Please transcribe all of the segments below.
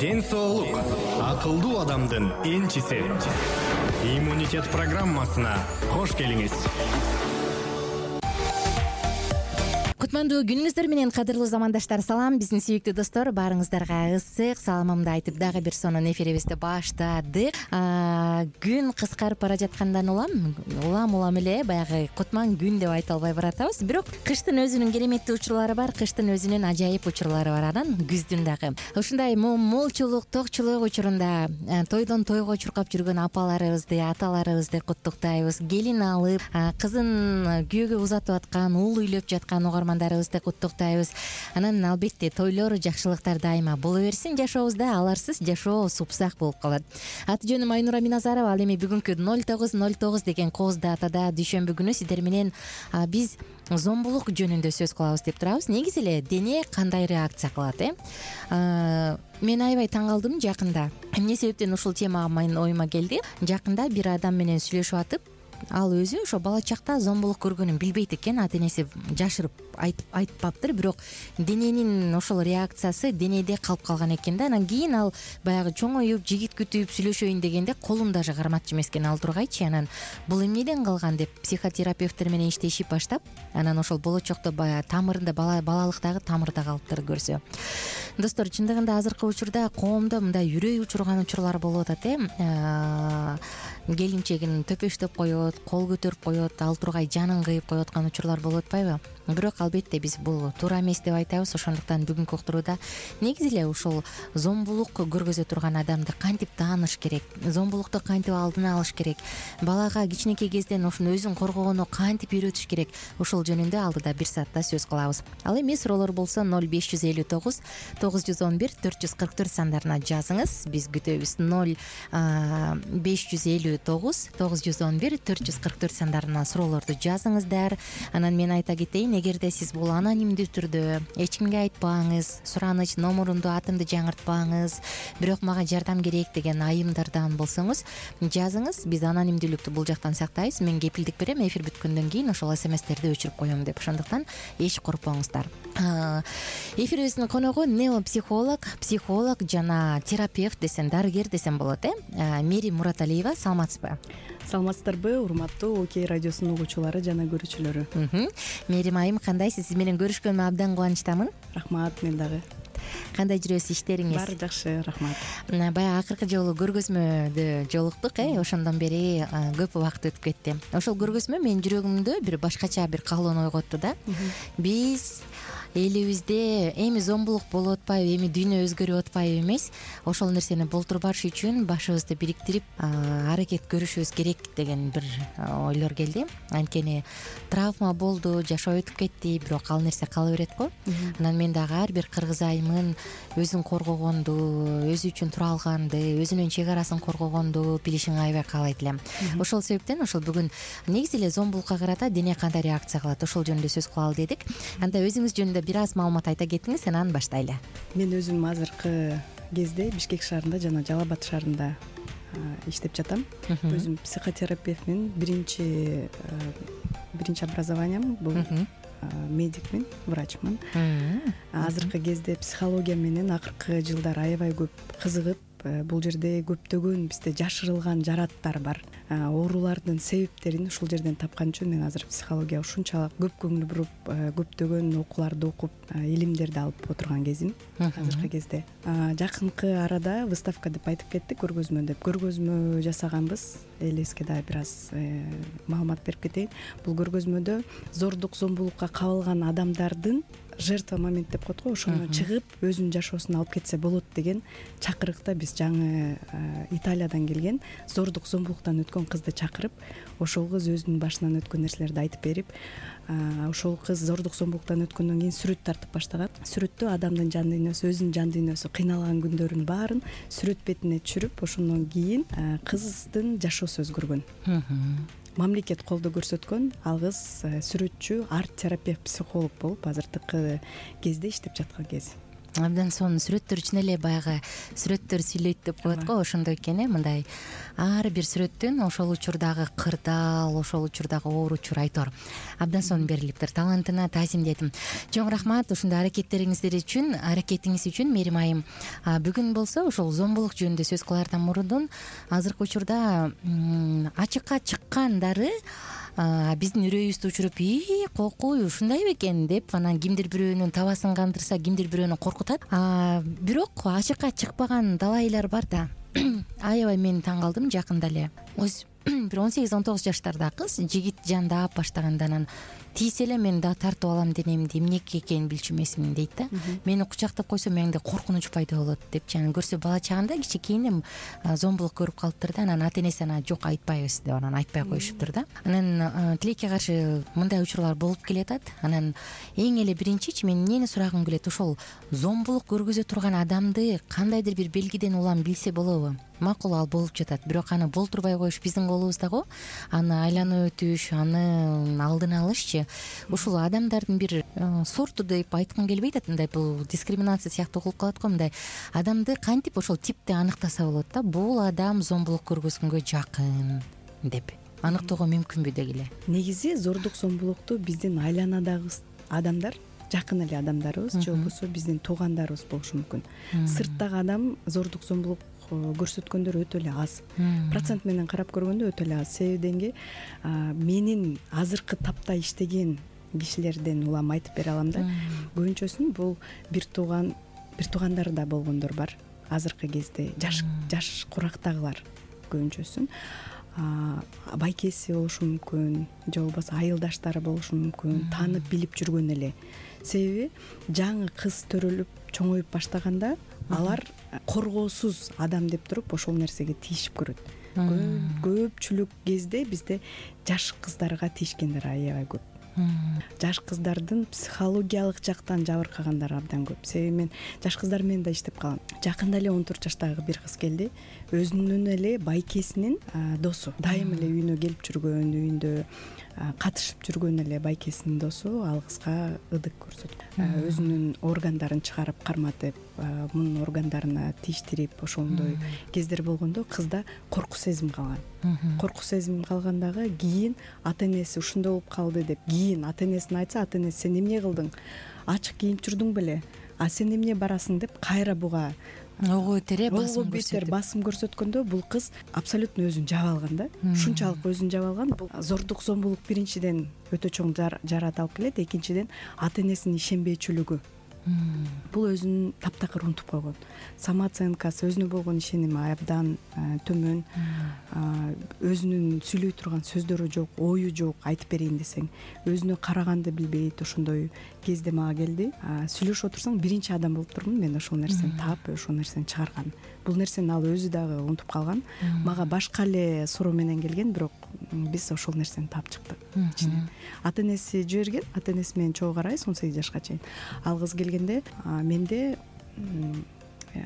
ден соолук акылдуу адамдын энчиси. Иммунитет программасына кош келиңиз. Кутмандуу күнүңүздөр менен кадырлуу замандаштар, салам. Биздин сүйүктүү достор, баарыңыздарга ысык саламымды айтып дагы бир сонун эфирибизди баштадык. Күн кыскарып бара жаткандан улам эле баягы кутман күн деп айта албай баратабыз. Бирок кыштын өзүнүн кереметтүү учурлары бар, кыштын өзүнүн ажайып учурлары бар, анан күздүн дагы. Ушундай молчулук, токчулук учурунда тойдон тойго чуркап жүргөн апаларыбызды, аталарыбызды куттуктайбыз. Келин алып, кызын күйөөгө узатып аткан, уул үйлөп жаткан угармандарыбызды куттуктайбыз. Анан албетте тойлор, жакшылыктар дайыма боло берсин жашообузда. Аларсыз жашоо супсак болуп калат. Аты жөнүм Айнура Миназарова. Ал эми бүгүнкү 0909 деген кооз датада дүйшөмбү күнү сиздер менен биз зомбулук жөнүндө сөз кылабыз деп турабыз. Негизи эле дене кандай реакция кылат, Мен аябай таң калдым жакында. Эмне себептен ушул тема менин оюма келди? Жакында бир адам менен сүйлөшүп атып, ал өзү ошо бала чакта зомбулук көргөнүн билбейт экен, ата энеси жашырып айтпаптыр, бирок дененин ошол реакциясы денеде калып калган экен да. Анан кийин ал баягы чоңоюп, жигит күтүп сүйлөшөйүн дегенде колун даже карматчу эмес экен ал тургайчы. Анан бул эмнеден калган деп психотерапевттер менен иштешип баштап, анан ошол болочокто баягы тамырында, балалыктагы тамырда калыптыр көрсө. Достор, чындыгында азыркы учурда коомдо мындай үрөй учурган учурлар болуп атат, келинчегин төпөштөп коет, кол көтөрүп коет, ал тургай жанын кыйып коюп аткан учурлар болуп атпайбы? Бирок албетте биз бул туура эмес деп айтабыз. Ошондуктан бүгүнкү уктурууда негизи эле ушул зомбулук көргөзө турган адамды кантип тааныш керек, зомбулукту кантип алдын алыш керек, балага кичинекей кезден ошону өзүн коргогону кантип үйрөтүш керек, ушул жөнүндө алдыда бир саатта сөз кылабыз. Ал эми суроолор болсо 0559 911 444 сандарына жазыңыз. Биз күтөбүз. 0559 911 444 сандарына суроолорду жазыңыздар. Анан мен айта кетейин, эгерде сиз бул анонимдүү түрдө эч кимге айтпаңыз, сураныч номурумду, атымды жаңыртпаңыз, бирок мага жардам керек деген айымдардан болсоңуз жазыңыз. Биз анонимдүүлүктү бул жактан сактайбыз. Мен кепилдик берем, эфир бүткөндөн кийин ошол смстерди өчүрүп коем деп. Ошондуктан эч коркпоңуздар. Эфирибиздин коногу неопсихолог, психолог жана терапевт десем, дарыгер десем болот, Мерим Мураталиева. Саламатсызбы? Саламатсыздарбы, урматтуу Окей радиосунун угуучулары жана көрүүчүлөрү? Мерим айым, кандайсыз? Сиз менен көрүшкөнүмө абдан кубанычтамын. Рахмат, мен дагы. Кандай жүрөсүз, иштериңиз? Баары жакшы, рахмат. Баягы акыркы жолу көргөзмөдө жолуктук, ошондон бери көп убакыт өтүп кетти. Ошол көргөзмө менин жүрөгүмдө бир башкача бир каалоону ойготту да. Биз элибизде эми зомбулук болуп атпайбы, эми дүйнө өзгөрүп атпайбы эмес, ошол нерсени болтурбаш үчүн башыбызды бириктирип аракет көрүшүбүз керек деген бир ойлор келди. Анткени травма болду, жашоо өтүп кетти, бирок ал нерсе кала берет го. Анан мен дагы ар бир кыргыз айымын өзүн коргогонду, өзү үчүн тура алганды, өзүнүн чек арасын коргогонду билишин аябай каалайт элем. Ошол себептен ошол бүгүн негизи эле зомбулукка карата дене кандай реакция кылат, ошол жөнүндө сөз кылалы дедик. Анда өзүңүз жөнүндө бир аз маалымат айта кетиңиз, анан баштайлы. Мен өзүм азыркы кезде Бишкек шаарында жана Жалал Абад шаарында иштеп жатам. Өзүм психотерапевтмин. Биринчи образованием бул медикмин, врачмын. Азыркы кезде психология менен акыркы жылдары аябай көп кызыгып, бул жерде көптөгөн бизде жашырылган жараттар бар. Оорулардын себептерин ушул жерден тапкан үчүн мен азыр психологияга ушунчалык көп көңүл буруп, көптөгөн окууларды окуп, илимдерди алып отурган кезим азыркы кезде. Жакынкы арада выставка деп айтып кеттик, көргөзмө деп. Көргөзмө жасаганбыз. Элибизге дагы бир аз маалымат берип кетейин. Бул көргөзмөдө зордук, зомбулукка кабылган адамдардын жертва момент деп коет го, ошону чыгып өзүнүн жашоосуна алып кетсе болот деген чакырыкта биз жаңы Италиядан келген зордук, зомбулуктан өткөн кызды чакырып, ошол кыз өзүнүн башынан өткөн нерселерди айтып берип, ошол кыз зордук, зомбулуктан өткөндөн кийин сүрөт тартып баштаган. Сүрөттө адамдын жан дүйнөсү, өзүнүн жан дүйнөсү, кыйналган күндөрүн баарын сүрөт бетине түшүрүп, ошондон кийин кыздын жашоосу өзгөргөн. Мамлекет колдоо көрсөткөн. Ал кыз сүрөтчү, арт терапевт, психолог болуп азыркы кезде иштеп жаткан кези. Абдан сонун сүрөттөр үчүн эле баягы сүрөттөр сүйлөйт деп коет го, ошондой экен мындай ар бир сүрөттөн ошол учурдагы кырдаал, ошол учурдагы оор учур айтор абдан сонун берилиптир. Талантына таазимдейт. Чоң рахмат ушундай аракетиңиз үчүн Мерим айым. Бүгүн болсо ушул зомбулук жөнүндө сөз кылаардан мурдун азыркы учурда ачыкка чыккандары биздин үрөйүбүздү учуруп кокуй ушундай бекен деп анан кимдир бирөөнүн табасын кандырса, кимдир бирөөнү коркутат. Бирок ачыкка чыкпаган далайлар бар да. Аябай мен таң калдым жакында эле. Бир 18-19 жаштарда кыз жигит жандап баштаганда анан тийсе эле мен да тартып алам денемди, эмнеге экенин билчү эмесмин дейт да. Мени кучактап койсо менде коркунуч пайда болот депчи. Анан көрсө бала чагында кичинекейинен зомбулук көрүп калыптыр да. Анан ата энеси жок айтпайбыз деп анан айтпай коюшуптур да. Анан тилекке каршы мындай учурлар болуп келатат. Анан эң эле биринчичи мен эмнени сурагым келет, ошол зомбулук көргөзө турган адамды кандайдыр бир белгиден улам билсе болобу? Макул, ал болуп жатат, бирок аны болтурбай коюш биздин колубузда го. Аны айланып өтүш, аны алдын алышчы ушул адамдардын бир сорту деп айткым келбейт. Мындай бул дискриминация сыяктуу кылып калат го. Мындай адамды кантип ошол типти аныктаса болот да, бул адам зомбулук көргөзгөнгө жакын деп аныктоого мүмкүнбү дегиле. Негизи зордук зомбулукту биздин айланадагы адамдар, жакын эле адамдарыбыз же болбосо биздин туугандарыбыз болушу мүмкүн. Сырттагы адам зордук зомбулук көрсөткөндөр өтө эле аз. Процент менен карап көргөндө өтө эле аз. Себебинги менин азыркы тапта иштеген кишилерден улам айтып бере алам да. Көбүнчөсүн бул бир туугандар да болгондор бар. Азыркы кезде жаш курактагылар көбүнчөсүн байкеси болушу мүмкүн, же болбосо айылдаштары болушу мүмкүн, таанып билип жүргөн эле. Себеби жаңы кыз төрөлүп чоңоюп баштаганда алар коргоосуз адам деп туруп ошол нерсеге тийишип көрөт. Көпчүлүк кезде бизде жаш кыздарга тийишкендер аябай көп. Жаш кыздардын психологиялык жактан жабыркагандар абдан көп. Себеби мен жаш кыздар менен да иштеп калам. Жакында эле 14 жаштагы бир кыз келди. Өзүнүн эле байкесинин досу, дайым эле үйүнө келип жүргөн, үйүндө катышып жүргөн эле байкесинин досу ал кызга ыдык көрсөткөн. Өзүнүн органдарын чыгарып карматып, мунун органдарына тийиштирип ошондой кездер болгондо кызда корку сезим калган. Корку сезим калгандагы кийин ата энеси ушундай болуп калды деп кийин ата энесине айтса, ата энеси сен эмне кылдың? Ачык кийинип жүрдүң беле? Сен эмне барасың деп кайра буга ого бетер басым көрсөткөндө бул кыз абсолютно өзүн жаап алган да. Ушунчалык өзүн жаап алган. Бул зордук зомбулук биринчиден өтө чоң жарат алып келет, экинчиден ата энесинин ишенбейчүлүгү. Бул өзүн таптакыр унутуп койгон. Самооценкасы, өзүнө болгон ишеними абдан төмөн. Өзүнүн сүйлөй турган сөздөрү жок, ою жок, айтып берейин десең. Өзүнө караганды билбейт. Ошондой кезде мага келди. Сүйлөшүп отурсаң биринчи адам болуп турмун мен ошол нерсени таап, ошол нерсени чыгарган. Бул нерсени ал өзү дагы унутуп калган. Мага башка эле суроо менен келген, бирок биз ошол нерсени таап чыктык. Ата энеси жиберген, ата энеси менен чогуу карайбыз 18 жашка чейин. Ал кыз келгенде менде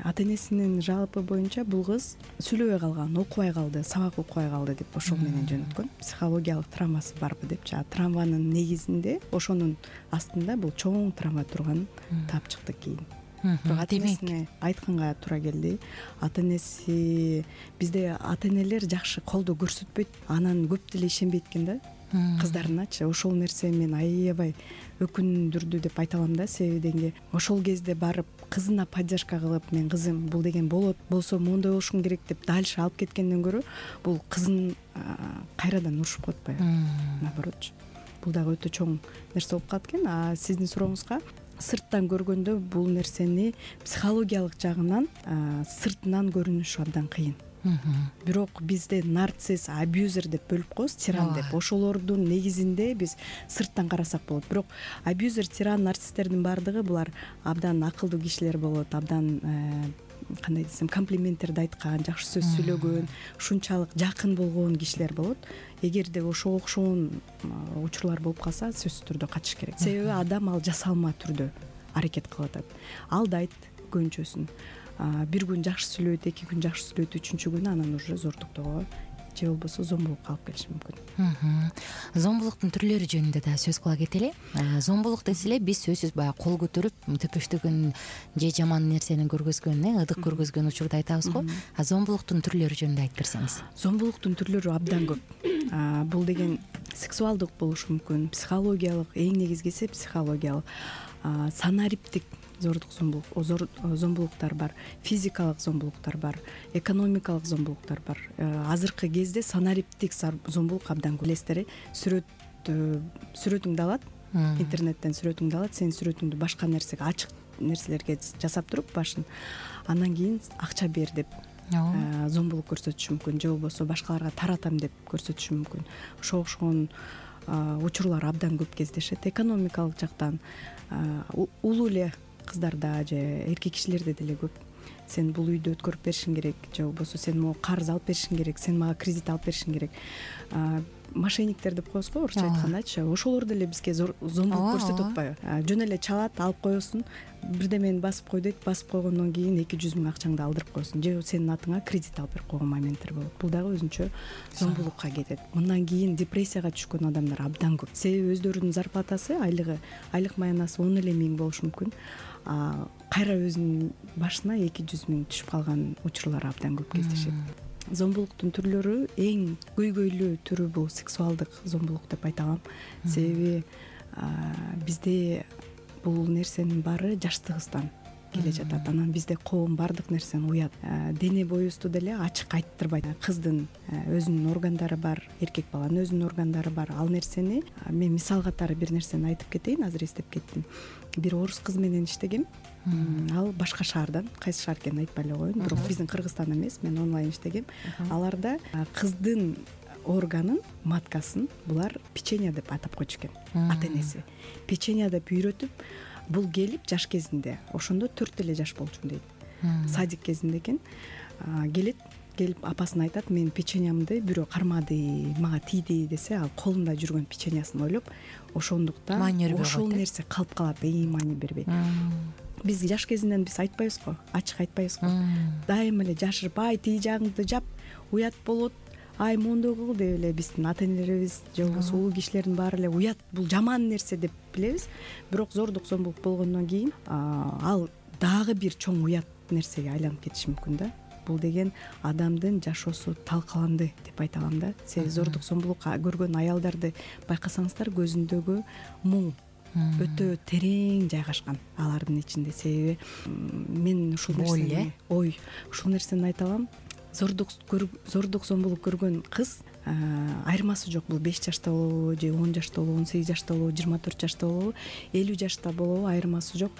ата энесинин жалпы боюнча бул кыз сүйлөбөй калган, окубай калды, сабак окубай калды деп ошол менен жөнөткөн. Психологиялык травмасы барбы депчи. Травманын негизинде, ошонун астында бул чоң травма турганын таап чыктык кийин. Бирок ата энесине айтканга туура келди. Ата энеси бизде ата энелер жакшы колдоо көрсөтпөйт, анан көп деле ишенбейт экен да кыздарыначы. Ошол нерсе мен аябай өкүндүрдү деп айта алам да. Себеби ошол кезде барып кызына поддержка кылып, мен кызым бул деген болот, болсо моундай болушуң керек деп дальше алып кеткенден көрө, бул кызын кайрадан урушуп коет атпайбы? Наоборот. Бул дагы өтө чоң нерсе болуп калат экен. Сиздин сурооңузга сырттан көргөндө бул нерсени психологиялык жагынан сыртынан көрүнүшү абдан кыйын. Бирок бизде нарцисс, абьюзер деп бөлүп коебуз, тиран деп. Ошолордун негизинде биз сырттан карасак болот. Бирок абьюзер, тиран, нарцисстердин баардыгы булар абдан акылдуу кишилер болот, абдан кандай десем, комплименттерди айткан, жакшы сөз сүйлөгөн, ушунчалык жакын болгон кишилер болот. Эгерде ошого окшогон учурлар болуп калса, сөзсүз түрдө качыш керек. Себеби адам ал жасалма түрдө аракет кылып атат. Алдайт көбүнчөсүн. Бир күн жакшы сүйлөйт, 2 күн жакшы сүйлөйт, 3-күнү анан уже зордуктоого же болбосо зомбулукка алып келиши мүмкүн. Зомбулуктун түрлөрү жөнүндө да сөз кыла кетели. Зомбулук десе эле биз сөзсүз баягы кол көтөрүп төпөштөгөн же жаман нерсени көргөзгөн, ыдык көргөзгөн учурду айтабыз го. Зомбулуктун түрлөрү жөнүндө айтып берсеңиз. Зомбулуктун түрлөрү абдан көп. Бул деген сексуалдык болушу мүмкүн, психологиялык, эң негизгиси психологиялык, санариптик зомбулуктар бар, физикалык зомбулуктар бар, экономикалык зомбулуктар бар. Азыркы кезде санариптик зомбулук абдан көп. Билесиздер, сүрөтүңдү алат, интернеттен сүрөтүңдү алат, сенин сүрөтүңдү башка нерсеге, ачык нерселерге жасап туруп башын, андан кийин акча бер деп зомбулук көрсөтүшү мүмкүн, же болбосо башкаларга таратам деп көрсөтүшү мүмкүн. Ошого окшогон учурлар абдан көп кездешет. Экономикалык жактан улуу эле кыздарда же эркек кишилерде деле көп. Сен бул үйдү өткөрүп беришиң керек, же болбосо сен могу карыз алып беришиң керек, сен мага кредит алып беришиң керек. Мошенниктер деп коебуз го, орусча айткандачы. Ошолор деле бизге зомбулук көрсөтүп атпайбы? Жөн эле чалат, алып коесуң, бирдемени басып кой дейт, басып койгондон кийин 200 000 акчаңды алдырып коесуң, же сенин атыңа кредит алып берип койгон моменттер болот. Бул дагы өзүнчө зомбулукка кетет. Мындан кийин депрессияга түшкөн адамдар абдан көп. Себеби өздөрүнүн зарплатасы, айлык маянасы 10 эле миң болушу мүмкүн. Кайра өзүнүн башына 200 000 түшүп калган учурлар абдан көп кездешет. Зомбулуктун түрлөрү эң көйгөйлүү түрү бул сексуалдык зомбулук деп айта алам. Себеби бизде бул нерсенин баары жаштыгыбыздан келе жатат. Анан бизде коом баардык нерсени уят. Дене боюбузду деле ачык айттырбайт. Кыздын өзүнүн органдары бар, эркек баланын өзүнүн органдары бар. Ал нерсени мен мисал катары бир нерсени айтып кетейин, азыр эстеп кеттим. Бир орус кыз менен иштегем. Ал башка шаардан, кайсы шаар экенин айтпай эле коеюн, бирок биздин Кыргызстан эмес, мен онлайн иштегем. Аларда кыздын органын, маткасын булар печенье деп атап койчу экен. Ата-энеси печенье деп үйрөтүп, бул келип жаш кезинде, ошондо 4 эле жаш болчумун дейт. Садик кезинде экен. Келип апасына айтат, мен печеньямды бирөө кармады, мага тийди десе, ал колунда жүргөн печеньясын ойлоп, ошондуктан ошол нерсе калып калат, маани бербейт. Биз жаш кезинен биз айтпайбыз го, ачык айтпайбыз го. Дайыма эле жашырып, тиги жагыңды жап, уят болот, мондой кыл деп эле биздин ата-энелерибиз же болбосо улуу кишилердин баары эле уят, бул жаман нерсе деп билебиз. Бирок зордук зомбулук болгондон кийин ал дагы бир чоң уят нерсеге айланып кетиши мүмкүн да. Бул деген адамдын жашоосу талкаланды деп айта алам да. Себеби зордук зомбулук көргөн аялдарды байкасаңыздар, көзүндөгү муң өтө терең жайгашкан алардын ичинде. Себеби мен ушул нерсени айта алам. Зордук зомбулук көргөн кыз айырмасы жок. Бул 5 жашта болобу, же 10 жашта болобу, 18 жашта болобу, 24 жашта болобу, 50 жашта болобу, айырмасы жок.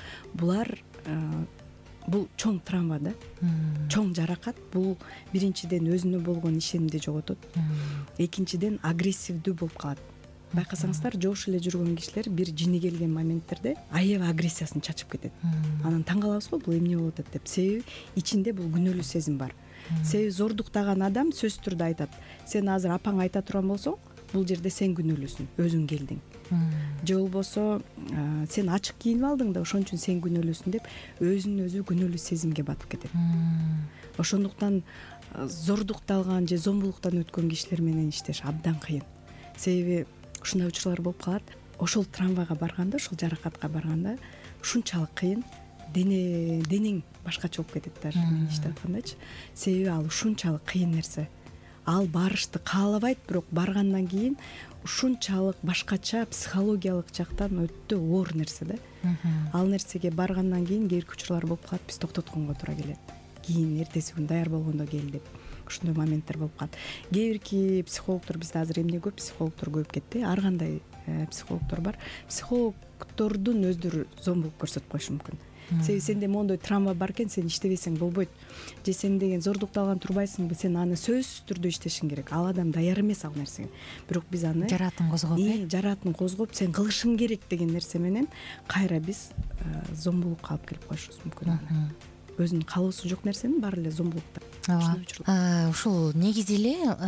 Бул чоң травма да, чоң жаракат. Бул биринчиден өзүнө болгон ишенимди жоготот, экинчиден агрессивдүү болуп калат. Байкасаңыздар, жош эле жүргөн кишилер бир жини келген моменттерде аябай агрессиясын чачып кетет. Анан таң калабыз го, бул эмне болуп атат деп. Себеби ичинде бул күнөөлүү сезим бар. Себеби зордуктаган адам сөзсүз түрдө айтат, сен азыр апаң айта турган болсоң, бул жерде сен күнөөлүүсүң, өзүң келдиң. Же болбосо сен ачык кийинип алдың да, ошон үчүн сен күнөөлүүсүң деп өзүн өзү күнөөлүү сезимге батып кетет. Ошондуктан зордукталган же зомбулуктан өткөн кишилер менен иштеш абдан кыйын. Себеби ушундай учурлар болуп калат. Ошол травмага барганда, ошол жаракатка барганда ушунчалык кыйын, денең башкача болуп кетет даже мен иштеп аткандачы. Себеби ал ушунчалык кыйын нерсе. Ал барышты каалабайт, бирок баргандан кийин ушунчалык башкача психологиялык жактан өтө оор нерсе да. Ал нерсеге баргандан кийин кээ бир учурлар болуп калат, биз токтотконго туура келет. Кийин эртеси күн даяр болгондо кел деп. Ушундай моменттер болуп калат. Кээ бирки психологдор, бизде азыр эмне көп, психологдор көбөйүп кетти. Ар кандай психологдор бар. Психологдордун өздөрү зомбулук көрсөтүп коюшу мүмкүн. Себеби сенде мондой травма бар экен, сен иштебесең болбойт. Же сен деген зордукталган турбайсыңбы, сен аны сөзсүз түрдө иштешиң керек. Ал адам даяр эмес ал нерсеге. Бирок биз аны жараатын козгоп, сен кылышың керек деген нерсе менен кайра биз зомбулукка алып келип коюшубуз мүмкүн. Өзүнүн каалоосу жок нерсенин баары эле зомбулукта. Ушул негизи эле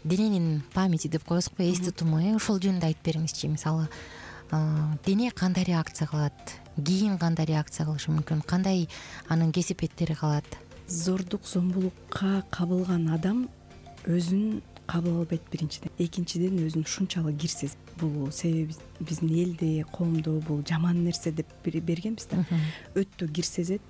дененин памяти деп коебуз го, эс тутуму, ошол жөнүндө айтып бериңизчи. Мисалы, дене кандай реакция кылат, кийин кандай реакция кылышы мүмкүн, кандай анын кесипеттери калат? Зордук зомбулукка кабылган адам өзүн кабыл албайт биринчиден, экинчиден өзүн ушунчалык кирсиз. Бул себеби биздин элде, коомдо бул жаман нерсе деп бергенбиз да, өтө кирсезет.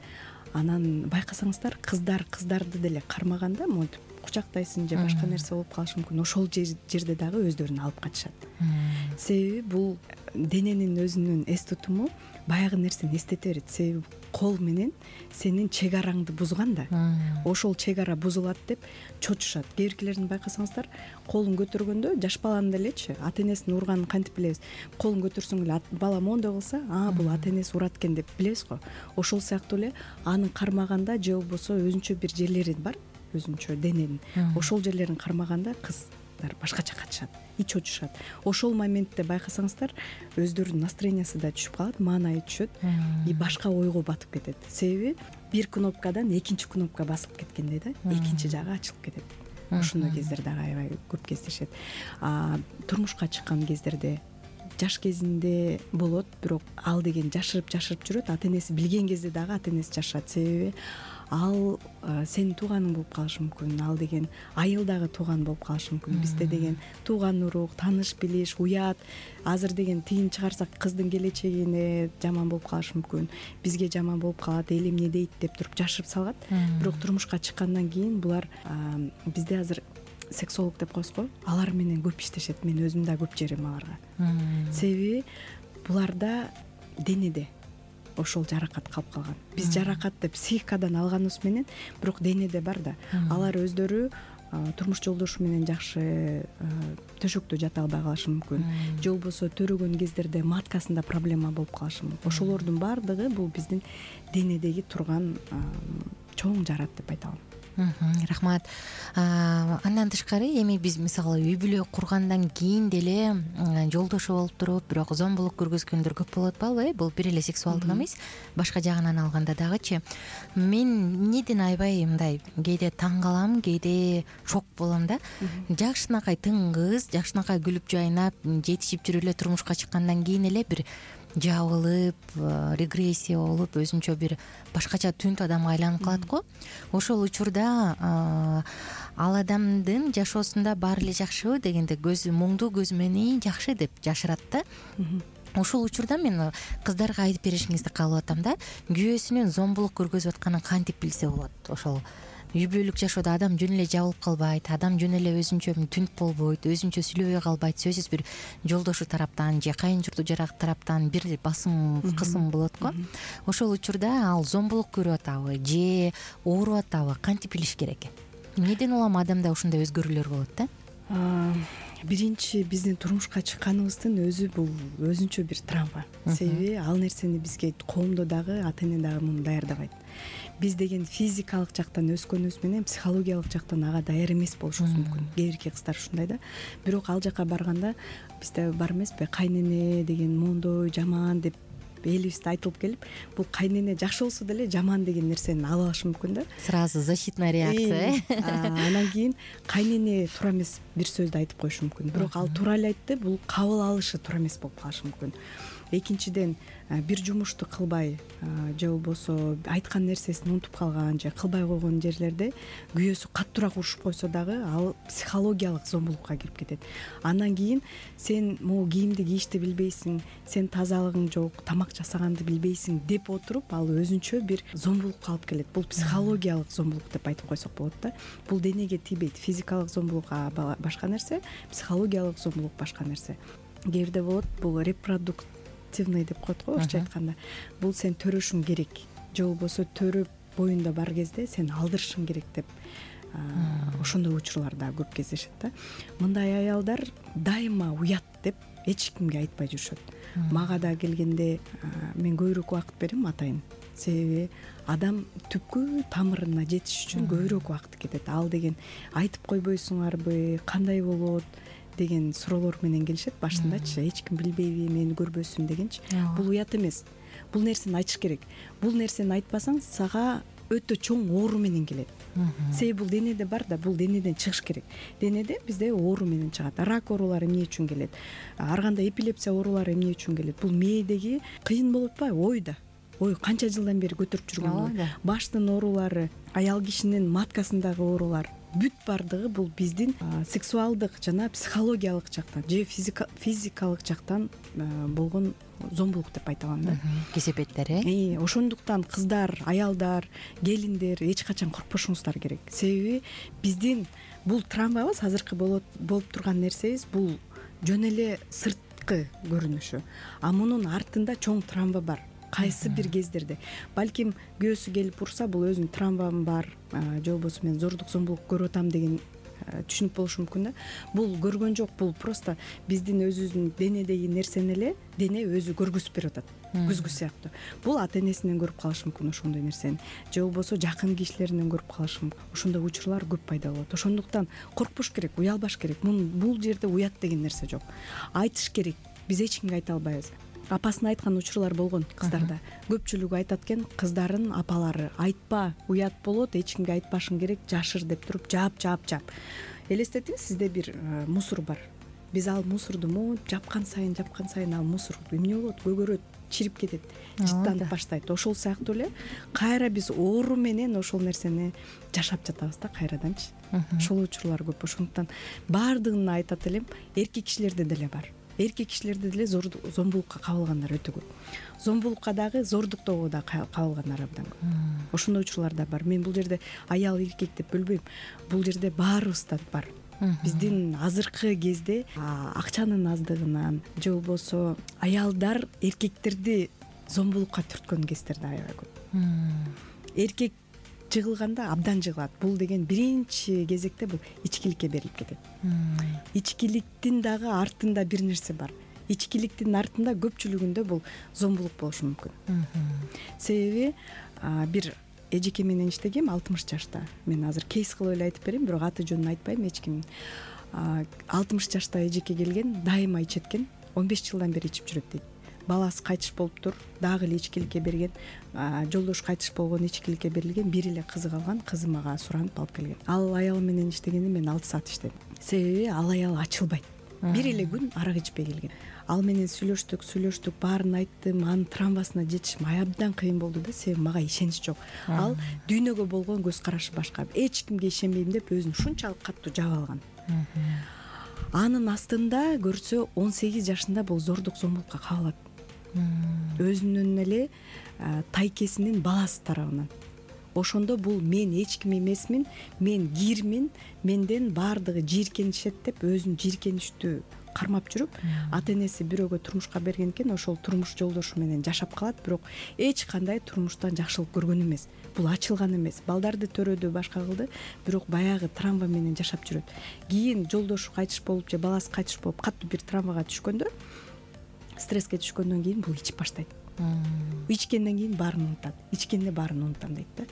Анан байкасаңыздар, кыздарды деле кармаганда монтип кучактайсың же башка нерсе болуп калышы мүмкүн, ошол жерде дагы өздөрүн алып качышат. Себеби бул дененин өзүнүн эс тутуму баягы нерсени эстете берет. Себеби кол менен сенин чек араңды бузган да, ошол чек ара бузулат деп чочушат. Кээ биркилердин байкасаңыздар, колун көтөргөндө жаш баланын делечи ата энесин урганын кантип билебиз? Колун көтөрсөң эле бала мондой кылса, бул ата энеси урат экен деп билебиз го. Ошол сыяктуу эле анын кармаганда же болбосо өзүнчө бир жерлери бар, өзүнчө дененин. Ошол жерлерин кармаганда кыздар башкача катышат, чочушат. Ошол моментте байкасаңыздар, өздөрүнүн настроениясы да түшүп калат, маанайы түшөт и башка ойго батып кетет. Себеби бир кнопкадан экинчи кнопка басылып кеткендей да, экинчи жагы ачылып кетет. Ошондой кездер дагы аябай көп кездешет. Турмушка чыккан кездерде, жаш кезинде болот, бирок ал деген жашырып жүрөт. Ата энеси билген кезде дагы ата энеси жашырат. Себеби ал сенин тууганың болуп калышы мүмкүн, ал деген айыл дагы тууган болуп калышы мүмкүн. Бизде деген тууган урук, тааныш билиш, уят. Азыр деген тигин чыгарсак кыздын келечегине жаман болуп калышы мүмкүн, бизге жаман болуп калат, эл эмне дейт деп туруп жашырып салгат. Бирок турмушка чыккандан кийин булар, бизде азыр сексолог деп коебузго, алар менен көп иштешет. Мен өзүм да көп жерим аларга. Себеби буларда денеде ошол жаракат калып калган. Биз жаракатты психикадан алганыбыз менен, бирок денеде бар да. Алар өздөрү турмуш жолдошу менен жакшы төшөктө жата албай калышы мүмкүн, же болбосо төрөгөн кездерде маткасында проблема болуп калышы мүмкүн. Ошолордун баардыгы бул биздин денедеги турган чоң жарат деп айта алам. Рахмат. Андан тышкары эми биз мисалы үй бүлө кургандан кийин деле жолдошу болуп туруп, бирок зомбулук көргөзгөндөр көп болуп атпайбы? Бул бир эле сексуалдык эмес, башка жагынан алганда дагычы. Мен эмнеден аябай мындай кээде таң калам, кээде шок болом да. Жакшынакай тыңгыз, жакшынакай күлүп жайнап, жетишип жүрүп эле турмушка чыккандан кийин эле бир жабылып, регрессия болуп, өзүнчө бир башкача түнт адамга айланып калат го. Ошол учурда ал адамдын жашоосунда баары эле жакшыбы дегенде көзү моңдуу көзү менен жакшы деп жашырат да. Ошол учурда мен кыздарга айтып беришиңизди каалап атам да. Күйөөсүнүн зомбулук көргөзүп атканын кантип билсе болот? Ошол үй бүлөлүк жашоодо адам жөн эле жабылып калбайт, адам жөн эле өзүнчө түнт болбойт, өзүнчө сүйлөбөй калбайт. Сөзсүз бир жолдошу тараптан же кайын журту жарак тараптан бир басым, кысым болот го. Ошол учурда ал зомбулук көрүп атабы же ооруп атабы, кантип билиш керек? Эмнеден улам адамда ушундай өзгөрүүлөр болот да? Биринчи биздин турмушка чыкканыбыздын өзү бул өзүнчө бир травма. Себеби ал нерсени бизге коомдо дагы, ата эне дагы муну даярдабайт. Биз деген физикалык жактан өскөнүбүз менен психологиялык жактан ага даяр эмес болушубуз мүмкүн. Кээ бирки кыздар ушундай да. Бирок ал жака барганда бизде бар эмеспи, кайнене деген мондой жаман деп элибизде айтылып келип, бул кайнене жакшы болсо деле жаман деген нерсени ала алышы мүмкүн да. Сразу защитная реакция. Анан кийин кайнене туура эмес бир сөздү айтып коюшу мүмкүн. Бирок ал туура эле айтты, бул кабыл алышы туура эмес болуп калышы мүмкүн. Экинчиден, бир жумушту кылбай же болбосо айткан нерсесин унутуп калган же кылбай койгон жерлерде күйөөсү каттуураак урушуп койсо дагы ал психологиялык зомбулукка кирип кетет. Андан кийин сен могу кийимди кийишти билбейсиң, сен тазалыгың жок, тамак жасаганды билбейсиң деп отуруп, ал өзүнчө бир зомбулукка алып келет. Бул психологиялык зомбулук деп айтып койсок болот да. Бул денеге тийбейт. Физикалык зомбулук башка нерсе, психологиялык зомбулук башка нерсе. Кээ бирде болот, бул деп коет го, орусча айтканда. Бул сен төрөшүң керек, же болбосо төрөп боюнда бар кезде сен алдырышың керек деп. Ошондой учурлар да көп кездешет да. Мындай аялдар дайыма уят деп эч кимге айтпай жүрүшөт. Мага да келгенде мен көбүрөөк убакыт берем атайын. Себеби адам түпкү тамырына жетиш үчүн көбүрөөк убакыт кетет. Ал деген айтып койбойсуңарбы, кандай болот деген суроолор менен келишет башындачы. Эч ким билбейби, мени көрбөсүн дегенчи. Бул уят эмес. Бул нерсени айтыш керек. Бул нерсени айтпасаң сага өтө чоң оору менен келет. Себеби бул денеде бар да, бул денеден чыгыш керек. Денеде бизде оору менен чыгат. Рак оорулары эмне үчүн келет? Ар кандай эпилепсия оорулары эмне үчүн келет? Бул мээдеги кыйын болуп атпайбы? Ойда. Ой, канча жылдан бери көтөрүп жүргөн баштын оорулары, аял кишинин маткасындагы оорулар, бүт баардыгы бул биздин сексуалдык жана психологиялык жактан же физикалык жактан болгон зомбулук деп айта алам да. Кесепеттер ошондуктан кыздар, аялдар, келиндер эч качан коркпошуңуздар керек. Себеби биздин бул травмабыз, азыркы болуп турган нерсебиз бул жөн эле сырткы көрүнүшү, а мунун артында чоң травма бар. Кайсы бир кездерде балким күйөөсү келип урса, бул өзүнүн травмам бар же болбосо мен зордук зомбулук көрүп атам деген түшүнүк болушу мүмкүн да. Бул көргөн жок, бул просто биздин өзүбүздүн денедеги нерсени эле дене өзү көргөзүп берип атат, күзгү сыяктуу. Бул ата энесинен көрүп калышы мүмкүн ошондой нерсени, же болбосо жакын кишилеринен көрүп калышы мүмкүн. Ошондой учурлар көп пайда болот. Ошондуктан коркпош керек, уялбаш керек. Бул жерде уят деген нерсе жок. Айтыш керек. Биз эч кимге айта албайбыз. Апасына айткан учурлар болгон кыздарда. Көпчүлүгү айтат экен, кыздардын апалары айтпа, уят болот, эч кимге айтпашың керек, жашыр деп туруп жаап. Элестетиңиз, сизде бир мусор бар. Биз ал мусорду жапкан сайын ал мусор эмне болот? Көгөрөт, чирип кетет, жыттанып баштайт. Ошол сыяктуу эле кайра биз оору менен ошол нерсени жашап жатабыз да кайраданчы. Ошол учурлар көп. Ошондуктан баардыгын айтат элем, эркек кишилерде деле бар. Эркек кишилерде деле зомбулукка кабылгандар өтө көп. Зомбулукка дагы, зордуктоого да кабылгандар абдан көп. Ошондой учурлар да бар. Мен бул жерде аял эркек деп бөлбөйм. Бул жерде баарыбызда бар. Биздин азыркы кезде акчанын аздыгынан же болбосо аялдар эркектерди зомбулукка түрткөн кездер да аябай көп. Эркек жыгылганда абдан жыгылат. Бул деген биринчи кезекте бул ичкиликке берилип кетет. Ичкиликтин дагы артында бир нерсе бар. Ичкиликтин артында көпчүлүгүндө бул зомбулук болушу мүмкүн. Себеби бир эжеке менен иштегем 60 жашта. Мен азыр кейс кылып эле айтып берейин, бирок аты жөнүн айтпайм эч ким. 60 жашта эжеке келген, дайыма ичеткен, 15 жылдан бери ичип жүрөт дейт. Баласы кайтыш болуптур, дагы эле ичкиликке берген, жолдошу кайтыш болгон, ичкиликке берилген, бир эле кызы калган, кызы мага суранып алып келген. Ал аял менен иштегенде мен 6 саат иштедим. Себеби ал аял ачылбайт. Бир эле күн арак ичпей келген. Ал менен сүйлөштүк, баарын айттым, анын травмасына жетишим абдан кыйын болду да, себеби мага ишенич жок. Ал дүйнөгө болгон көз карашы башка. Эч кимге ишенбейм деп өзүн ушунчалык катуу жаап алган. Анын астында көрсө 18 жашында бул зордук зомбулукка кабылат. Өзүнүн эле тайкесинин баласы тарабынан. Ошондо бул мен эч ким эмесмин, мен кирмин, менден баардыгы жийиркенишет деп өзүн жийиркеништүү кармап жүрүп, ата энеси бирөөгө турмушка берген экен, ошол турмуш жолдошу менен жашап калат, бирок эч кандай турмуштан жакшылык көргөн эмес. Бул ачылган эмес. Балдарды төрөдү, башка кылды, бирок баягы травма менен жашап жүрөт. Кийин жолдошу кайтыш болуп же баласы кайтыш болуп катуу бир травмага түшкөндө, стресске түшкөндөн кийин бул ичип баштайт. Ичкенден кийин баарын унутат. Ичкенде баарын унутам дейт да.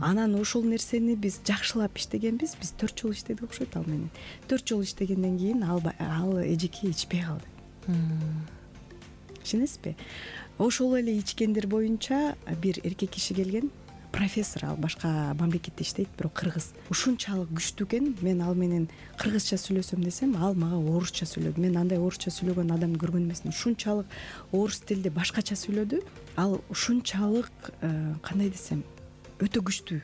Анан ошол нерсени биз жакшылап иштегенбиз. Биз 4 жыл иштедик окшойт ал менен. 4 жыл иштегенден кийин ал эжеке ичпей калды. Ишенесизби? Ошол эле ичкендер боюнча бир эркек киши келген, профессор, ал башка мамлекетте иштейт, бирок кыргыз. Ушунчалык күчтүү экен, мен ал менен кыргызча сүйлөсөм десем, ал мага орусча сүйлөдү. Мен андай орусча сүйлөгөн адамды көргөн эмесмин. Ушунчалык орус тилде башкача сүйлөдү. Ал ушунчалык, кандай десем, өтө күчтүү,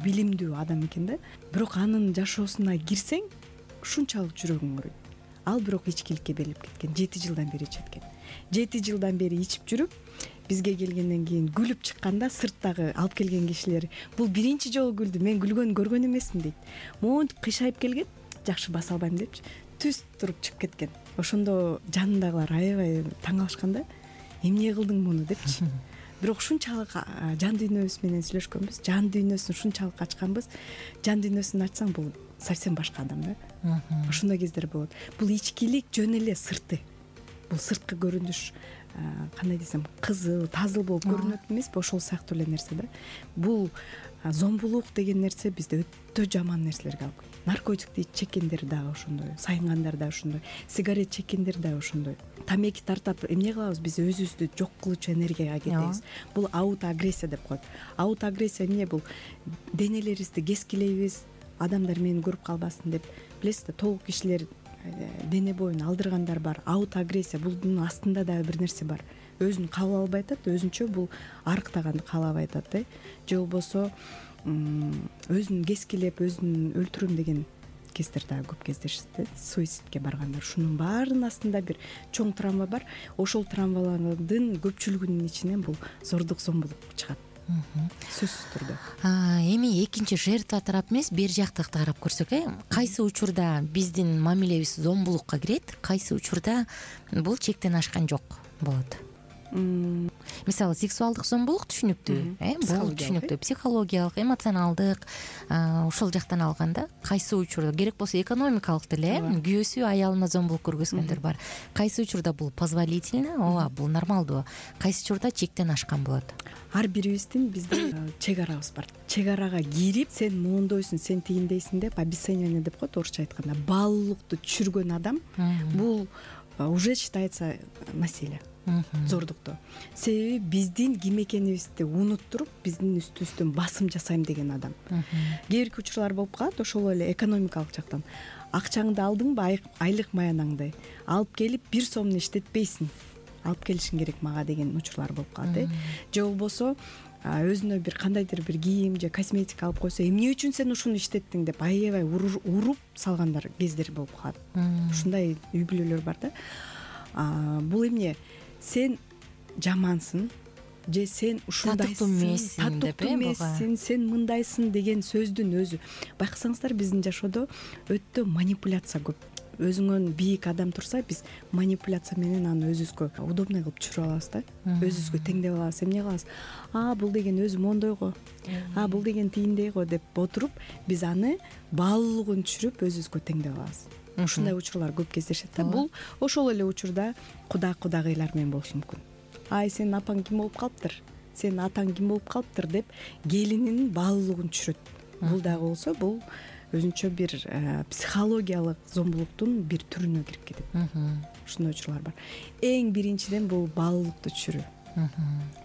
билимдүү адам экен да. Бирок анын жашоосуна кирсең, ушунчалык жүрөгүң ооруйт. Ал бирок ичкиликке берилип кеткен. 7 жылдан бери ичет экен. 7 жылдан бери ичип жүрүп, бизге келгенден кийин күлүп чыкканда сырттагы алып келген кишилер бул биринчи жолу күлдү, мен күлгөнүн көргөн эмесмин дейт. Монтип кыйшайып келген, жакшы баса албайм депчи, түз туруп чыгып кеткен. Ошондо жанындагылар аябай таң калышканда, эмне кылдың муну депчи. Бирок ушунчалык жан дүйнөбүз менен сүйлөшкөнбүз, жан дүйнөсүн ушунчалык ачканбыз. Жан дүйнөсүн ачсаң, бул совсем башка адам да. Ошондой кездер болот. Бул ичкилик жөн эле сырты. Бул сырткы көрүнүш, кандай десем, кызыл, тазыл болуп көрүнөт эмеспи? Ошол сыяктуу эле нерсе да. Бул зомбулук деген нерсе бизде өтө жаман нерселерге алып келет. Наркотикти чеккендер дагы ошондой, сайынгандар да ошондой, сигарет чеккендер да ошондой. Тамеки тартап эмне кылабыз? Биз өзүбүздү жок кылуучу энергияга кетебиз. Бул аутоагрессия деп коет. Аутоагрессия эмне? Бул денелерибизди кескилейбиз, адамдар мени көрүп калбасын деп. Билесиз да, толук кишилер дене боюн алдыргандар бар. Аутоагрессия, бунун астында дагы бир нерсе бар. Өзүн кабыл албай атат, өзүнчө бул арыктаганды каалабай атат, же болбосо өзүн кескилеп өзүн өлтүрөм деген кездер дагы көп кездешет, суицидке баргандар. Шунун баарынын астында бир чоң травма бар. Ошол травмалардын көпчүлүгүнүн ичинен бул зордук зомбулук чыгат. Сөзсүз түрдө. Эми экинчи жертва тарап эмес, бер жактык карап көрсөк, кайсы учурда биздин мамилебиз зомбулукка кирет, кайсы учурда бул чектен ашкан жок болот? Мисалы, сексуалдык зомбулук түшүнүктүү, бул түшүнүктүү, психологиялык, эмоционалдык, ошол жактан алганда кайсы учурда керек болсо экономикалык деле, күйөөсү аялына зомбулук көргөзгөндөр бар. Кайсы учурда бул позволительно, ооба, бул нормалдуу. Кайсы учурда чектен ашкан болот? Ар бирибиздин бизде чек арабыз бар. Чек арага кирип, сен моундойсуң, сен тигиндейсиң деп обесценивание деп коет орусча айтканда. Баалуулукту түшүргөн адам бул уже считается насилие. Зордукту. Себеби биздин ким экенибизди унуттуруп, биздин үстүбүздөн басым жасайм деген адам. Кээ бирки учурлар болуп калат, ошол эле экономикалык жактан. Акчаңды алдыңбы, айлык маянаңды алып келип 1 сомду иштетпейсиң, алып келишиң керек мага деген учурлар болуп калат. Же болбосо өзүнө бир кандайдыр бир кийим же косметика алып койсо, эмне үчүн сен ушуну иштеттиң деп аябай уруп салгандар кездер болуп калат. Ушундай үй бүлөлөр бар да. Бул эмне? Сен жамансың же сен ушундайсың, татыктуу эмессиң, сен мындайсың деген сөздүн өзү. Байкасаңыздар, биздин жашоодо өтө манипуляция көп. Өзүңөн бийик адам турса, биз манипуляция менен аны өзүбүзгө удобный кылып түшүрүп алабыз да. Өзүбүзгө теңдеп алабыз. Эмне кылабыз? Бул деген өзү мондойго, бул деген тийиндейго деп отуруп, биз аны баалуулугун түшүрүп өзүбүзгө теңдеп алабыз. Ушундай учурлар көп кездешет да. Бул ошол эле учурда кудагыйлар менен болушу мүмкүн. Сенин апаң ким болуп калыптыр, сенин атаң ким болуп калыптыр деп келининин баалуулугун түшүрөт. Бул дагы болсо, бул өзүнчө бир психологиялык зомбулуктун бир түрүнө кирип кетет. Ушундай учурлар бар. Эң биринчиден бул баалуулукту түшүрүү.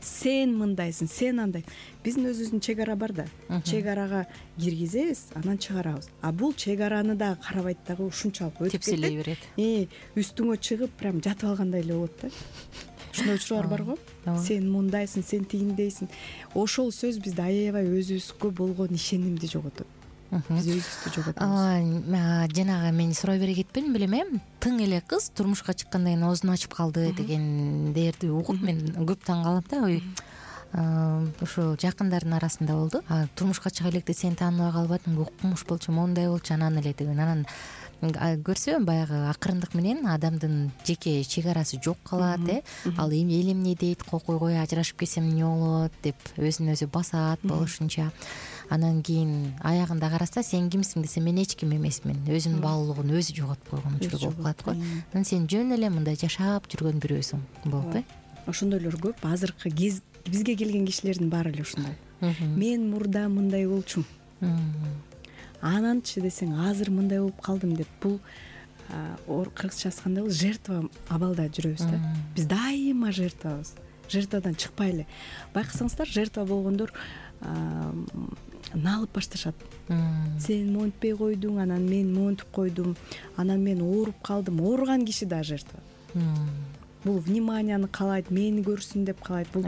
Сен мындайсың, сен андай. Биздин өзүбүздүн чек ара бар да. Чек арага киргизебиз, анан чыгарабыз. Бул чек араны дагы карабайт дагы, ушунчалык өтүп кетет. Тепселей берет. Үстүңө чыгып, прям жатып алгандай эле болот да. Ушундай учурлар бар го. Сен мындайсың, сен тигиндейсиң. Ошол сөз бизде аябай өзүбүзгө болгон ишенимди жоготот. Биз өзүбүздү жоготобуз. Жанагы мен сурай бере кетпедим белем, тың эле кыз турмушка чыккандан кийин оозун ачып калды дегендерди угуп мен көп таң калам да. Ошо жакындардын арасында болду. Турмушка чыга электе сени тааныбай калбадым, укмуш болчу, мондай болчу, анан эле деген. Анан көрсө, баягы акырындык менен адамдын жеке чек арасы жок калат, ал эл эмне дейт, койгой ажырашып кетсем эмне болот деп өзүн өзү басат болушунча. Анан кийин аягында караса, сен кимсиң десе, мен эч ким эмесмин, өзүнүн баалуулугун өзү жоготуп койгон учур болуп калат го. Анан сен жөн эле мындай жашап жүргөн бирөөсүң болуп. Ошондойлор көп. Азыркы бизге келген кишилердин баары эле ушундай. Мен мурда мындай болчумун, ананчы десең азыр мындай болуп калдым деп. Бул кыргызча айтканда бул жертва абалда жүрөбүз да. Биз дайыма жертвабыз. Жертвадан чыкпай эле. Байкасаңыздар, жертва болгондор налып башташат. Сен монтпей койдуң, анан мен монтуп койдум, анан мен ооруп калдым. Ооруган киши да жертва. Бул вниманияны каалайт, мени көрсүн деп каалайт. Бул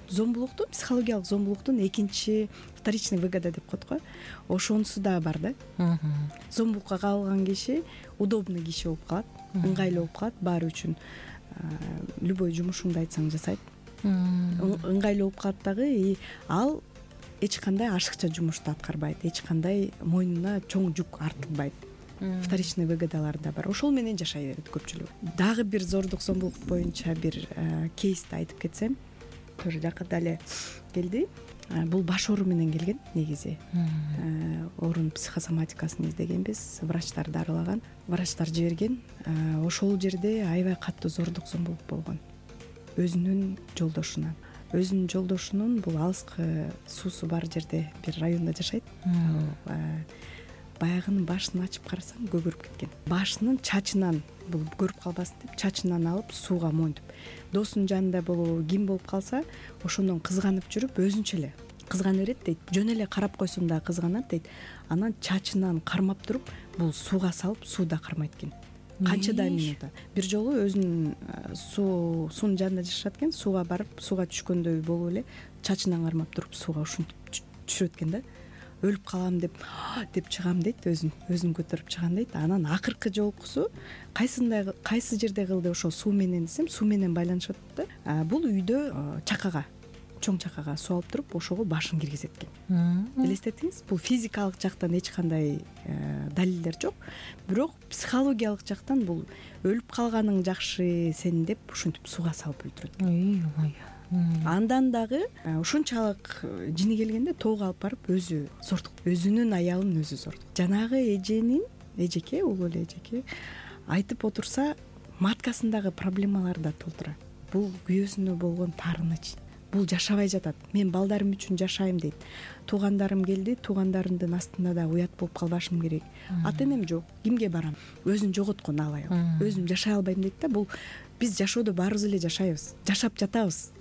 зомбулуктун, психологиялык зомбулуктун экинчи вторичный выгода деп коет го. Ошонусу да бар да. Зомбулукка кабылган киши удобный киши болуп калат, ыңгайлуу болуп калат, баары үчүн любой жумушуңду айтсаң жасайт. Ыңгайлуу болуп калат дагы, ал эч кандай ашыкча жумушту аткарбайт, эч кандай мойнуна чоң жүк артылбайт. Вторичный выгодалары да бар. Ошол менен жашай берет көпчүлүк. Дагы бир зордук зомбулук боюнча бир кейсти айтып кетсем, тоже жакында эле келди. Бул баш оору менен келген негизи. Оорунун психосоматикасын издегенбиз, врачтарды аралаган, врачтар жиберген. Ошол жерде аябай катуу зордук зомбулук болгон. Өзүнүн жолдошунан. Өзүнүн жолдошунун бул алыскы суусу бар жерде бир райондо жашайт. Баягынын башын ачып карасаң көгөрүп кеткен. Башынын чачынан, бул көрүп калбасын деп, чачынан алып сууга моюнтуп. Досунун жанында болобу, ким болуп калса, ошондон кызганып жүрүп, өзүнчө эле кызгана берет дейт. Жөн эле карап койсом дагы кызганат дейт. Анан чачынан кармап туруп, бул сууга салып, сууда кармайт экен. канчадай минута. Бир жолу өзүнүн суунун жанында жашашат экен, сууга барып сууга түшкөндөй болуп эле чачынан кармап туруп сууга ушинтип түшүрөт экен да. Өлүп калам деп чыгам дейт, өзүн көтөрүп чыгам дейт. Анан акыркы жолкусу кайсы жерде кылды ошол суу менен десем, суу менен байланышып атат да. Бул үйдө чакага, чоң чакага суу алып туруп ошого башын киргизет экен. Элестетиңиз, бул физикалык жактан эч кандай далилдер жок, бирок психологиялык жактан бул өлүп калганың жакшы сени деп ушинтип сууга салып өлтүрөт. Андан дагы ушунчалык жини келгенде тоого алып барып өзү зортук, өзүнүн аялын өзү зортук. Жанагы эжеке, улуу эле эжеке айтып отурса, маткасындагы проблемалар да толтура. Бул күйөөсүнө болгон таарыныч. Бул жашабай жатат. Мен балдарым үчүн жашайм дейт. Туугандарым келди, туугандарымдын астында да уят болуп калбашым керек. Ата энем жок, кимге барам? Өзүн жоготкон ал аял. Өзүм жашай албайм дейт да. Бул биз жашоодо баарыбыз эле жашайбыз, жашап жатабыз.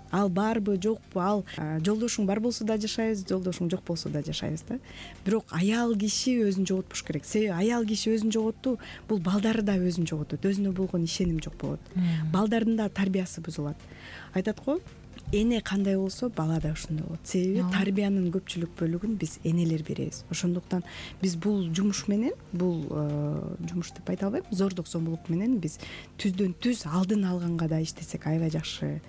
Ал барбы, жокпу, ал жолдошуң бар болсо да жашайбыз, жолдошуң жок болсо да жашайбыз да. Бирок аял киши өзүн жоготпуш керек. Себеби аял киши өзүн жоготту, бул балдары да өзүн жоготот, өзүнө болгон ишеним жок болот. Балдардын да тарбиясы бузулат. Айтат го, эне кандай болсо бала да ошондой болот. Себеби тарбиянын көпчүлүк бөлүгүн биз энелер беребиз. Ошондуктан биз бул жумуш менен, бул жумуш деп айта албайм, зордук зомбулук менен биз түздөн түз алдын алганга да иштесек аябай жакшы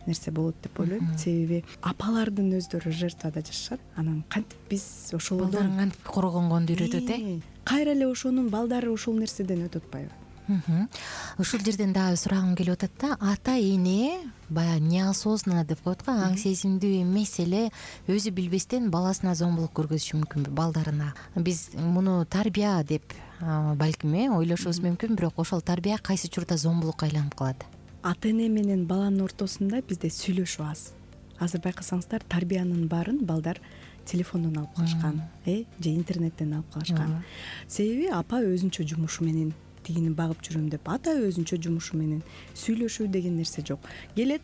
нерсе болот деп ойлойм. Себеби апалардын өздөрү жертвада жашашат. Анан кантип биз ошолордон балдарын кантип коргонгонду үйрөтөт, кайра эле ошонун балдары ошол нерседен өтүп атпайбы? Ушул жерден дагы сурагым келип атат да. Ата эне баягы неосознанно деп коет го, аң сезимдүү эмес эле өзү билбестен баласына зомбулук көргөзүшү мүмкүнбү, балдарына? Биз муну тарбия деп балким ойлошубуз мүмкүн, бирок ошол тарбия кайсы учурда зомбулукка айланып калат? Ата эне менен баланын ортосунда бизде сүйлөшүү аз. Азыр байкасаңыздар, тарбиянын баарын балдар телефондон алып калышкан, же интернеттен алып калышкан. Себеби апа өзүнчө жумушу менен тигини багып жүрөм деп, ата өзүнчө жумушу менен сүйлөшүү деген нерсе жок. Келет,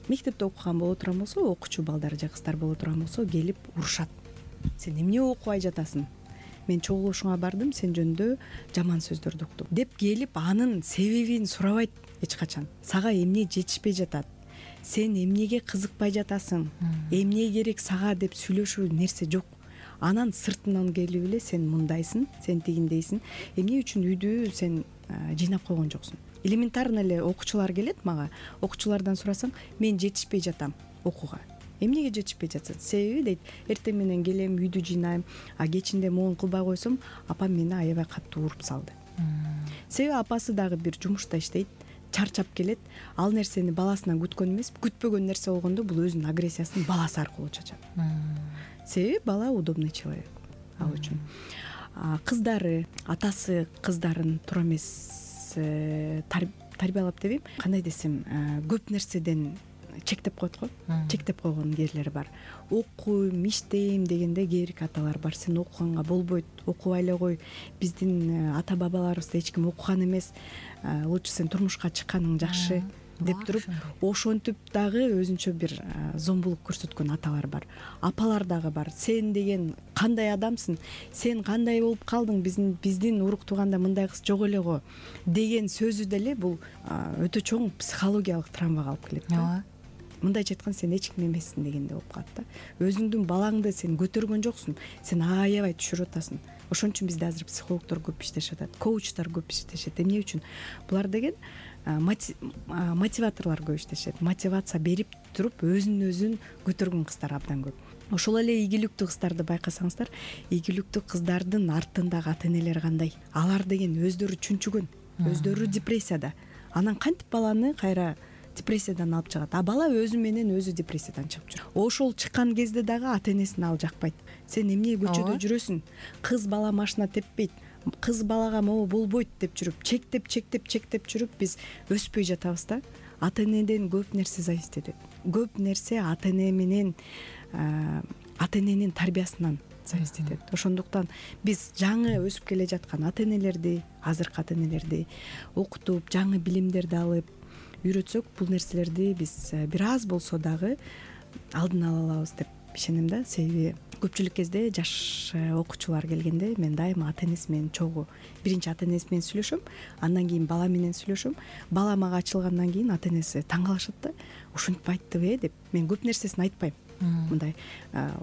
мектепте окуган боло турган болсо, окуучу балдар же кыздар боло турган болсо, келип урушат. Сен эмне окубай жатасың? Мен чогулушуңа бардым, сен жөнүндө жаман сөздөрдү уктум деп келип анын себебин сурабайт эч качан. Сага эмне жетишпей жатат? Сен эмнеге кызыкпай жатасың? Эмне керек сага деп сүйлөшүү нерсе жок. Анан сыртынан келип эле сен мындайсың, сен тигиндейсиң, эмне үчүн үйдү сен жыйнап койгон жоксуң? Элементарно эле окуучулар келет мага, окуучулардан сурасаң, мен жетишпей жатам окууга. Эмнеге жетишпей жатсың? Себеби дейт, эртең менен келем, үйдү жыйнайм, кечинде могу кылбай койсом, апам мени аябай катуу уруп салды. Себеби апасы дагы бир жумушта иштейт, чарчап келет, ал нерсени баласынан күткөн эмес, күтпөгөн нерсе болгондо бул өзүнүн агрессиясын баласы аркылуу чачат. Себеби бала удобный человек ал үчүн. Кыздары, атасы кыздарын туура эмес тарбиялап дебейм, кандай десем, көп нерседен чектеп коет го, чектеп койгон кээрлери бар. Окуйм, иштейм дегенде кээ бирки аталар бар, сен окуганга болбойт, окубай эле кой, биздин ата бабаларыбызда эч ким окуган эмес, лучше сен турмушка чыкканың жакшы деп туруп, ошентип дагы өзүнчө бир зомбулук көрсөткөн аталар бар. Апалар дагы бар. Сен деген кандай адамсың? Сен кандай болуп калдың? Биздин урук тууганда мындай кыз жок эле го деген сөзү деле бул өтө чоң психологиялык травмага алып келет да. Мындайча айтканда, сен эч ким эмессиң дегенде болуп калат да. Өзүңдүн балаңды сен көтөргөн жоксуң, сен аябай түшүрүп атасың. Ошон үчүн бизде азыр психологдор көп иштешет атат, коучтар көп иштешет. Эмне үчүн? Булар деген мотиваторлор көп иштешет. Мотивация берип туруп өзүн көтөргөн кыздар абдан көп. Ошол эле ийгиликтүү кыздарды байкасаңыздар, ийгиликтүү кыздардын артындагы ата энелер кандай? Алар деген өздөрү чүнчүгөн, өздөрү депрессияда. Анан кантип баланы кайра депрессиядан алып чыгат? Бала өзү менен өзү депрессиядан чыгып жүр. Ошол чыккан кезде дагы ата энесин ал жакпайт. Сен эмне көчөдө жүрөсүң? Кыз бала машина теппейт, кыз балага могу болбойт деп жүрүп, чектеп жүрүп биз өспөй жатабыз да. Ата энеден көп нерсе зависит этет. Көп нерсе ата эне менен ата эненин тарбиясынан зависит этет. Ошондуктан биз жаңы өсүп келе жаткан ата энелерди, азыркы ата энелерди окутуп, жаңы билимдерди алып үйрөтсөк, бул нерселерди биз бир аз болсо дагы алдын ала алабыз деп ишенем да. Себеби көпчүлүк кезде жаш окуучулар келгенде мен дайыма ата энеси менен чогуу биринчи ата энеси менен сүйлөшөм, андан кийин бала менен сүйлөшөм. Бала мага ачылгандан кийин ата энеси таң калышат да, ушинтип айттыбы деп. Мен көп нерсесин айтпайм, мындай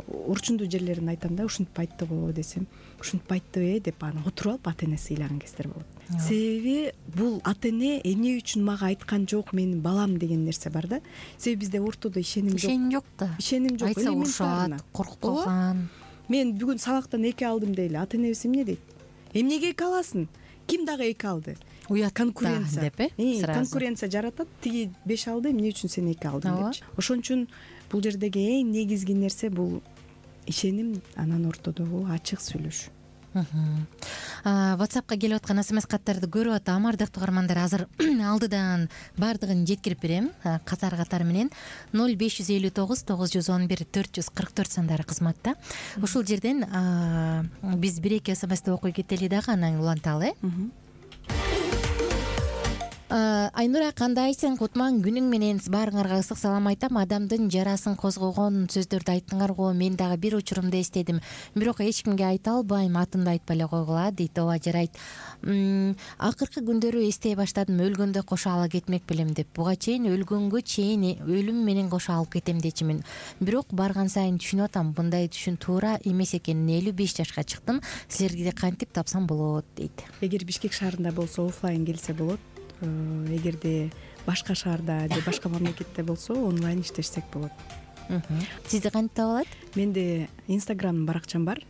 урчундуу жерлерин айтам да, ушинтип айтты го десем, ушинтип айттыбы деп анан отуруп алып ата энеси ыйлаган кездер болот. Себеби бул ата эне эмне үчүн мага айткан жок, менин балам деген нерсе бар да. Себеби бизде ортодо ишеним жок. Ишеним жок да. Ишеним жок. Айтса урушат, коркуп калган. Мен бүгүн сабактан 2 алдым дейли, ата энебиз эмне дейт? Эмнеге 2 аласың? Ким дагы 2 алды? Уят конкуренция деп конкуренция жаратат. Тиги 5 алды, эмне үчүн сен 2 алдың депчи. Ошон үчүн бул жердеги эң негизги нерсе бул ишеним, анан ортодогу ачык сүйлөшүү. WhatsAppка келип аткан SMS каттарды көрүп атам. Ардактуу угармандар, азыр алдыдан баардыгын жеткирип берем катар менен. 0559 911 444 сандары кызматта. Ушул жерден биз 1-2 SMSти окуй кетели дагы, анан уланталы. Айнура, кандайсың? Кутман күнүң менен баарыңарга ысык салам айтам. Адамдын жарасын козгогон сөздөрдү айттыңар го. Мен дагы бир учурумда эстедим. Бирок эч кимге айта албайм, атымды айтпай эле койгула дейт. Ооба, жарайт. Акыркы күндөрү эстей баштадым, өлгөндө кошо ала кетмек белем деп. Буга чейин өлгөнгө чейин өлүм менен кошо алып кетем дечимин. Бирок барган сайын түшүнүп атам, мындай түшүн туура эмес экенин. 55 жашка чыктым. Силерге кантип тапсам болот дейт. Эгер Бишкек шаарында болсо офлайн келсе болот. Эгерде башка шаарда же башка мамлекетте болсо онлайн иштешсек болот. Сизди кантип таба алат? Менде Instagram баракчам бар.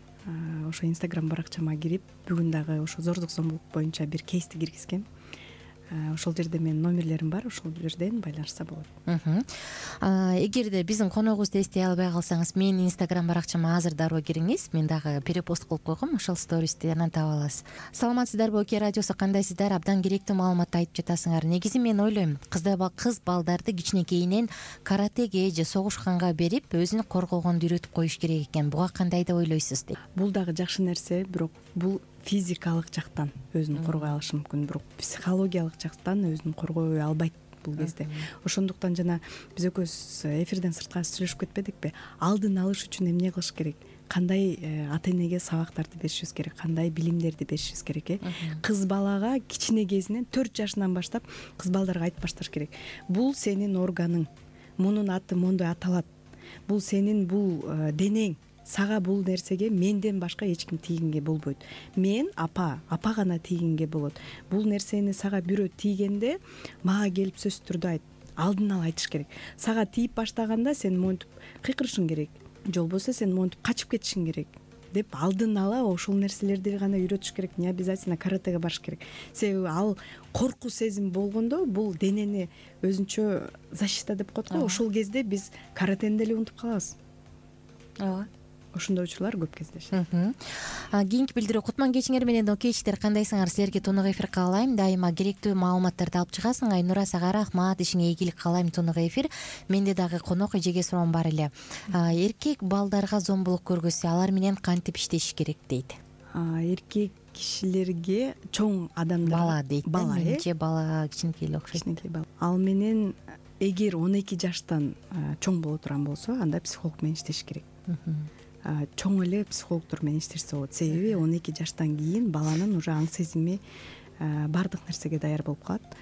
Ошо Instagram баракчама кирип, бүгүн дагы ошо зордук зомбулук боюнча бир кейсти киргизгем. Ошол жерде менин номерлерим бар, ошол жерден байланышса болот. Эгерде биздин коногубузду эстей албай калсаңыз, менин Instagram баракчама азыр дароо кириңиз. Мен дагы перепост кылып койгом, ошол стористи анан таба аласыз. Саламатсыздарбы, Оке радиосу, кандайсыздар? Абдан керектүү маалыматты айтып жатасыңар. Негизи мен ойлойм, кыз балдарды кичинекейинен каратеге же согушканга берип, өзүн коргогонду үйрөтүп коюш керек экен. Буга кандай деп ойлойсуз дейт. Бул дагы жакшы нерсе, бирок бул физикалык жактан өзүн коргой алышы мүмкүн, бирок психологиялык жактан өзүн коргой албайт бул кезде. Ошондуктан жана биз экөөбүз эфирден сырткары сүйлөшүп кетпедикпи? Алдын алыш үчүн эмне кылыш керек? Кандай ата энеге сабактарды беришибиз керек? Кандай билимдерди беришибиз керек? Кыз балага кичине кезинен 4 жашынан баштап кыз балдарга айтып башташ керек. Бул сенин органың. Мунун аты мондой аталат. Бул сенин бул денең. Сага бул нерсеге менден башка эч ким тийгенге болбойт. Мен апа гана тийгенге болот. Бул нерсени сага бирөө тийгенде мага келип сөзсүз түрдө айт. Алдын ала айтыш керек. Сага тийип баштаганда сен монтип кыйкырышың керек. Же болбосо сен монтип качып кетишиң керек деп алдын ала ошол нерселерди гана үйрөтүш керек. Не обязательно каратеге барыш керек. Себеби ал коркуу сезим болгондо бул денени өзүнчө защита деп коет го. Ошол кезде биз каратени деле унутуп калабыз. Ооба. Ошондой учурлар көп кездешет. Кийинки билдирүү. Кутман кечиңер менен окейчтер, кандайсыңар? Силерге тунук эфир каалайм. Дайыма керектүү маалыматтарды алып чыгасың. Айнура, сага рахмат. Ишиңе ийгилик каалайм. Тунук эфир. Менде дагы конок эжеге суроом бар эле. Эркек балдарга зомбулук көргөзсө, алар менен кантип иштешиш керек дейт. Эркек кишилерге чоң адамдар бала дейт. Менимче бала кичинекей эле окшойт. Кичинекей бала. Ал менен эгер 12 жаштан чоң боло турган болсо, анда психолог менен иштеш керек. Чоң эле психологдор менен иштешсе болот. Себеби 12 жаштан кийин баланын уже аң сезими баардык нерсеге даяр болуп калат.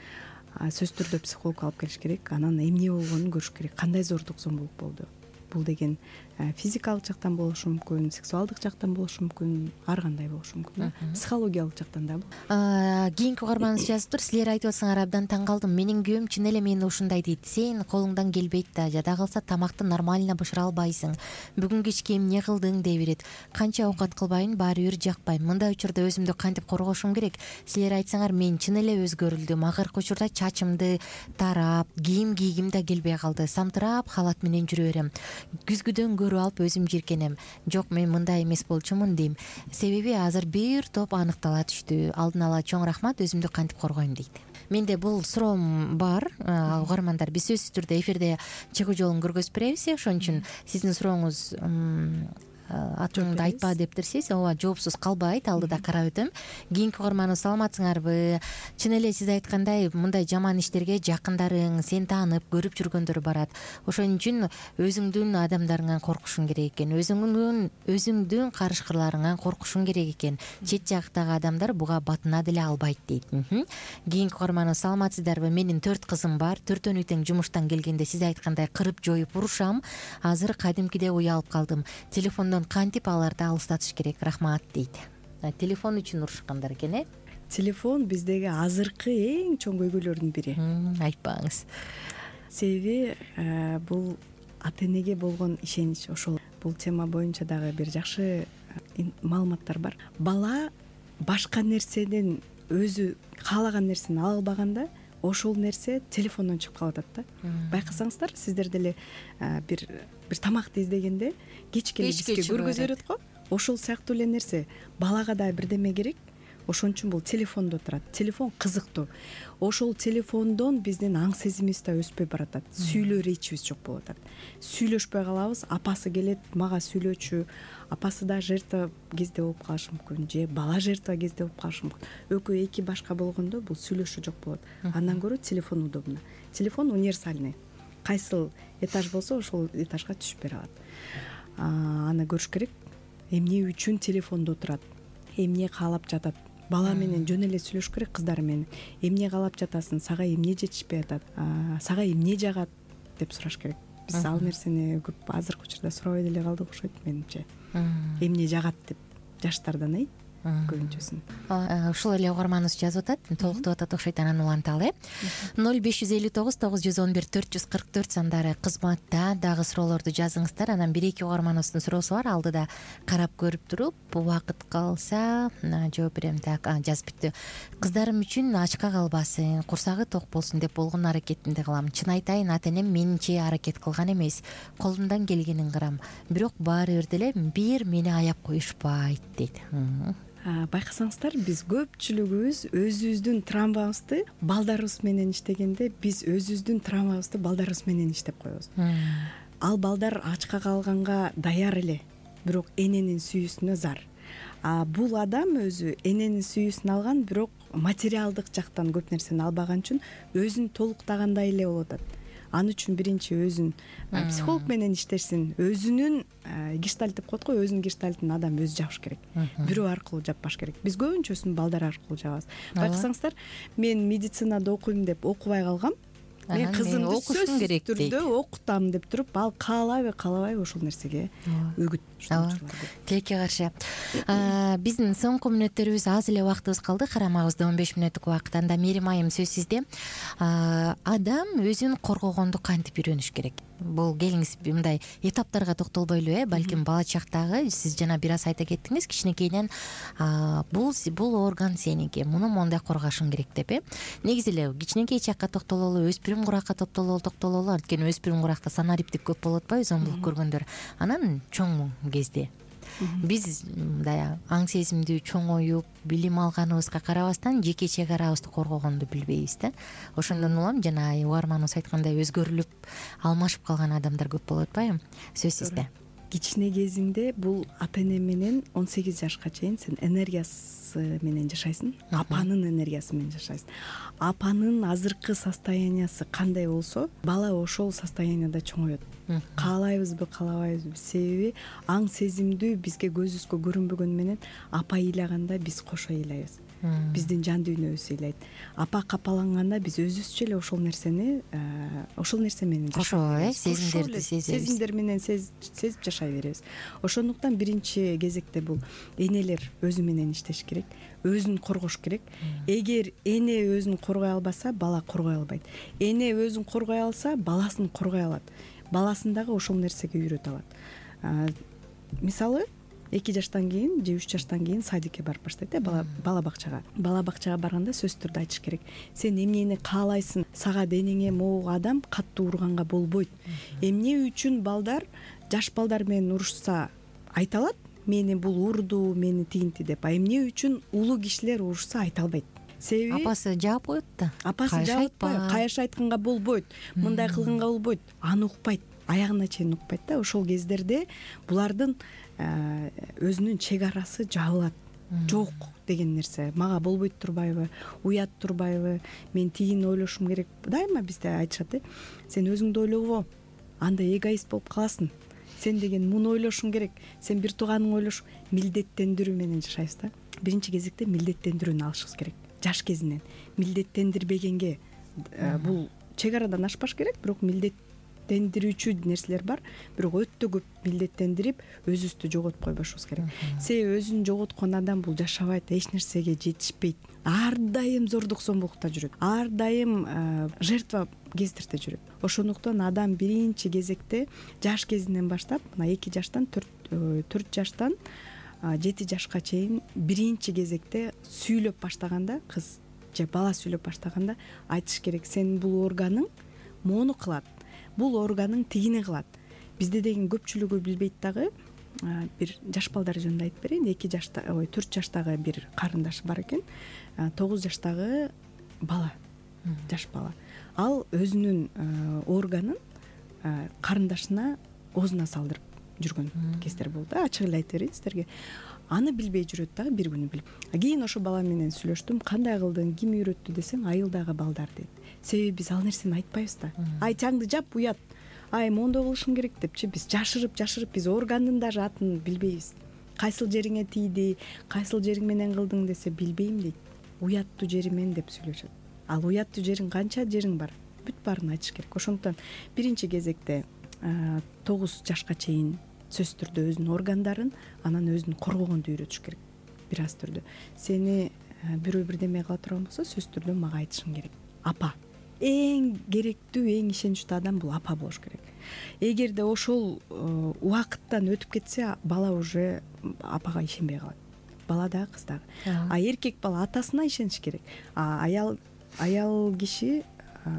Сөзсүз түрдө психолог алып келиш керек. Анан эмне болгонун көрүш керек. Кандай зордук зомбулук болду? Бул деген физикалык жактан болушу мүмкүн, сексуалдык жактан болушу мүмкүн, ар кандай болушу мүмкүн. Психологиялык жактан да. Кийинки угарманыбыз жазыптыр. Силер айтып атсаңар абдан таң калдым. Менин күйөөм чын эле мени ушундай дейт. Сен колуңдан келбейт да, жада калса тамакты нормально бышыра албайсың. Бүгүн кечке эмне кылдың дей берет. Канча оокат кылбайын, баары бир жакпайм. Мындай учурда өзүмдү кантип коргошум керек? Силер айтсаңар, мен чын эле өзгөрүлдүм. Акыркы учурда чачымды тарап, кийим кийгим да келбей калды. Самтырап халат менен жүрө берем. Күзгүдөн көрүп алып өзүм жиркенем. Жок, мен мындай эмес болчумун дейм. Себеби азыр бир топ аныктала түштү. Алдын ала чоң рахмат, өзүмдү кантип коргойм дейт. Менде бул суроом бар. Угармандар, биз сөзсүз түрдө эфирде чыгуу жолун көргөзүп беребиз. Ошон үчүн сиздин сурооңуз атыңды айтпа дептерсиз, ооба жоопсуз калбайт, алдыда карап өтөм. Кийинки угарманыбыз саламатсыңарбы? Чын эле сиз айткандай мындай жаман иштерге жакындарың, сени таанып көрүп жүргөндөр барат. Ошон үчүн өзүңдүн адамдарыңан коркушуң керек экен, өзүңдүн карышкырларыңан коркушуң керек экен. Чет жактагы адамдар буга батына деле албайт дейт. Кийинки угарманыбыз саламатсыздарбы? Менин 4 кызым бар. 4-өн тең жумуштан келгенде сиз айткандай кырып жоюп урушам. Азыр кадимкидей уялып калдым. Телефондон кантип аларды алыстатыш керек? Рахмат дейт. Телефон үчүн урушкандар экен, э? Телефон биздеги азыркы эң чоң көйгөйлөрдүн бири. Айтпаңыз. Себеби бул ата энеге болгон ишенич. Ошол бул тема боюнча дагы бир жакшы маалыматтар бар. Бала башка нерседен өзү каалаган нерсени ала албаганда ошол нерсе телефондон чыгып калып атат да. Байкасаңыздар, сиздер деле бир тамакты издегенде кечке бизге көргөзүп берет го. Ошол сыяктуу эле нерсе балага да бирдеме керек. Ошон үчүн бул телефондо отурат. Телефон кызыктуу. Ошол телефондон биздин аң сезимибиз да өспөй баратат. Сүйлөө речибиз жок болуп атат. Сүйлөшпөй калабыз. Апасы келет, мага сүйлөчү. Апасы да жертва кезде болуп калышы мүмкүн, же бала жертва кезде болуп калышы мүмкүн. Экөө эки башка болгондо бул сүйлөшүү жок болот. Андан көрө телефон удобно. Телефон универсальный. Кайсыл этаж болсо ошол этажга түшүп бере алат. Аны көрүш керек. Эмне үчүн телефондо отурат? Эмне каалап жатат? Бала менен жөн эле сүйлөшүш керек, кыздар менен. Эмне каалап жатасың? Сага эмне жетишпей атат? Сага эмне жагат деп сураш керек. Биз ал нерсени көп азыркы учурда сурабай деле калдык окшойт менимче. Эмне жагат деп жаштардан көбүнчөсүн. Ушул эле угарманыбыз жазып атат, толуктуп атат окшойт, анан уланталы. 0559 911 444 сандары кызматта. Дагы суроолорду жазыңыздар. Анан 1-2 угарманыбыздын суроосу бар, алдыда карап көрүп туруп, убакыт калса жооп берем. Так, жазып бүттү. Кыздарым үчүн ачка калбасын, курсагы ток болсун деп болгон аракетимди кылам. Чын айтайын, ата энем менче аракет кылган эмес. Колумдан келгенин кылам. Бирок баары бир деле бир мени аяп коюшпайт дейт. Байкасаңыздар, биз көпчүлүгүбүз өзүбүздүн травмабызды балдарыбыз менен иштегенде биз өзүбүздүн травмабызды балдарыбыз менен иштеп коебуз. Ал балдар ачка калганга даяр эле, бирок эненин сүйүүсүнө зар. Бул адам өзү эненин сүйүүсүн алган, бирок материалдык жактан көп нерсени албаган үчүн өзүн толуктагандай эле болуп атат. Аны үчүн биринчи өзүн психолог менен иштешсин, өзүнүн гештальт деп коет го, өзүнүн гештальтын адам өзү жапыш керек. Бирөө аркылуу жаппаш керек. Биз көбүнчөсүн балдар аркылуу жабабыз. Байкасаңыздар, мен медицинада окуйм деп окубай калгам. Мен кызымды сөзсүз түрдө окутам деп туруп, ал каалабайбы ошол нерсеге өгүт. Тилекке каршы. Биздин соңку мүнөттөрүбүз аз эле убактыбыз калды. Карамагыбызда 15 мүнөттүк убакыт. Анда Мерим айым сөз сизде. Адам өзүн коргогонду кантип үйрөнүш керек? Бул келиңиз мындай этаптарга токтолбойлу, балким бала чактагы сиз жана бир аз айта кеттиңиз, кичинекейден бул орган сеники, муну моундай коргошуң керек деп, негизи эле кичинекей чакка токтололу, өспүрүм куракка токтололу, анткени өспүрүм куракта санариптик көп болуп атпайбы, зомбулук көргөндөр. Анан чоң кезде биз мындай аң сезимдүү чоңоюп, билим алганыбызга карабастан жеке чек арабызды коргогонду билбейбиз да. Ошондон улам жана угарманыбыз айткандай өзгөрүлүп, алмашып калган адамдар көп болуп атпайбы? Сөз сизде. Кичине кезиңде бул ата эне менен 18 жашка чейин сен энергиясы менен жашайсың, апанын энергиясы менен жашайсың. Апанын азыркы состояниясы кандай болсо, бала ошол состоянияда чоңоет. Каалайбызбы, каалабайбызбы? Себеби аң сезимдүү бизге көзүбүзгө көрүнбөгөнү менен апа ыйлаганда биз кошо ыйлайбыз. Биздин жан дүйнөбүз ыйлайт. Апа капаланганда биз өзүбүзчө эле ошол нерсе менен кошо сезимдерди сезебиз. Сезимдер менен сезип жашай беребиз. Ошондуктан биринчи кезекте бул энелер өзү менен иштеш керек, өзүн коргош керек. Эгер эне өзүн коргой албаса, бала коргой албайт. Эне өзүн коргой алса, баласын коргой алат. Баласын дагы ошол нерсеге үйрөтө алат. Мисалы, 2 жаштан кийин же 3 жаштан кийин садикке барып баштайт, бала бакчага. Бала бакчага барганда сөзсүз түрдө айтыш керек. Сен эмнени каалайсың? Сага денеңе могу адам катуу урганга болбойт. Эмне үчүн балдар жаш балдар менен урушса айта алат? Мени бул урду, мени тигинти деп. Эмне үчүн улуу кишилер урушса айта албайт? Себеби апасы жаап коет да. Апасы жаап атпайбы? Каяш айтканга болбойт, мындай кылганга болбойт. Аны укпайт. аягына чейин укпайт да. Ошол кездерде булардын өзүнүн чек арасы жабылат. Жок деген нерсе мага болбойт турбайбы, уят турбайбы, мен тигини ойлошум керек. Дайыма бизде айтышат, сен өзүңдү ойлобо, анда эгоист болуп каласың. Сен деген муну ойлошуң керек, сен бир тууганың ойлош. Милдеттендирүү менен жашайбыз да. Биринчи кезекте милдеттендирүүнү алышыбыз керек. Жаш кезинен милдеттендирбегенге бул чек арадан ашпаш керек, бирок милдеттендирүүчү нерселер бар, бирок өтө көп милдеттендирип өзүбүздү жоготуп койбошубуз керек. Себеби өзүн жоготкон адам бул жашабайт, эч нерсеге жетишпейт. Ар дайым зордук зомбулукта жүрөт, ар дайым жертва кездирте жүрөт. Ошондуктан адам биринчи кезекте жаш кезинен баштап, мына 2 жаштан 4 жаштан 7 жашка чейин биринчи кезекте сүйлөп баштаганда, кыз же бала сүйлөп баштаганда айтыш керек, сенин бул органың мону кылат, бул органың тигини кылат. Бизде деген көпчүлүгү билбейт дагы. Бир жаш балдар жөнүндө айтып берейин. 4 жаштагы бир карындаш бар экен. 9 жаштагы бала, жаш бала. Ал өзүнүн органын карындашына оозуна салдырып жүргөн кездер болду. Ачык эле айтып берейин сиздерге. Аны билбей жүрөт дагы, бир күнү билип. Кийин ошо бала менен сүйлөштүм. Кандай кылдың, ким үйрөттү десең, айылдагы балдар дейт. Себеби биз ал нерсени айтпайбыз да. Ай чаңды жап, уят. Ай мондой кылышың керек депчи биз жашырып биз органдын даже атын билбейбиз. Кайсыл жериңе тийди, кайсыл жериң менен кылдың десе билбейм дейт. Уяттуу жеримен деп сүйлөшөт. Ал уяттуу жериң канча жериң бар? Бүт баарын айтыш керек. Ошондуктан биринчи кезекте 9 жашка чейин сөзсүз түрдө өзүнүн органдарын, анан өзүн коргогонду үйрөтүш керек. Бир аз түрдө. Сени бирөө бирдеме кыла турган болсо, сөзсүз түрдө мага айтышың керек. Апа. Эң керектүү, эң ишеничтүү адам бул апа болуш керек. Эгерде ошол убакыттан өтүп кетсе, бала уже апага ишенбей калат. Бала дагы, кыз дагы. Эркек бала атасына ишениш керек. Аял киши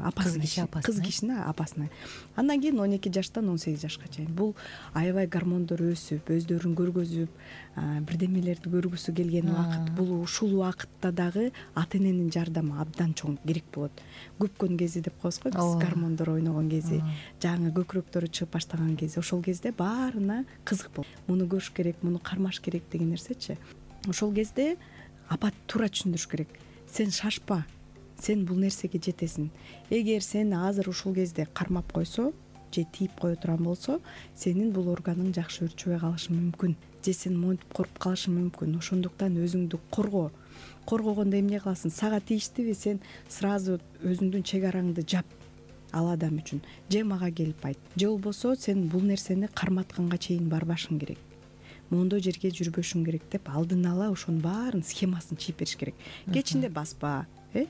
апасына, кыз кишини апасына. Андан кийин 12 жаштан 18 жашка чейин бул аябай гормондор өсүп, өздөрүн көргөзүп, бирдемелерди көргүсү келген убакыт. Бул ушул убакытта дагы ата эненин жардамы абдан чоң керек болот. Көпкөн кези деп коебуз го биз, гормондор ойногон кези, жаңы көкүрөктөрү чыгып баштаган кези. Ошол кезде баарына кызык болот. Муну көрүш керек, муну кармаш керек деген нерсечи. Ошол кезде апа туура түшүндүрүш керек. Сен шашпа. Сен бул нерсеге жетесиң. Эгер сени азыр ушул кезде кармап койсо, же тийип кое турган болсо, сенин бул органың жакшы өрчүбөй калышы мүмкүн. Же сен монтип коруп калышы мүмкүн. Ошондуктан өзүңдү корго. Коргогондо эмне кыласың? Сага тийиштиби, сен сразу өзүңдүн чек араңды жап ал адам үчүн. Же мага келип айт. Же болбосо сен бул нерсени карматканга чейин барбашың керек. Мондой жерге жүрбөшүң керек деп алдын ала ошонун баарын схемасын чийип бериш керек. Кечинде баспа, же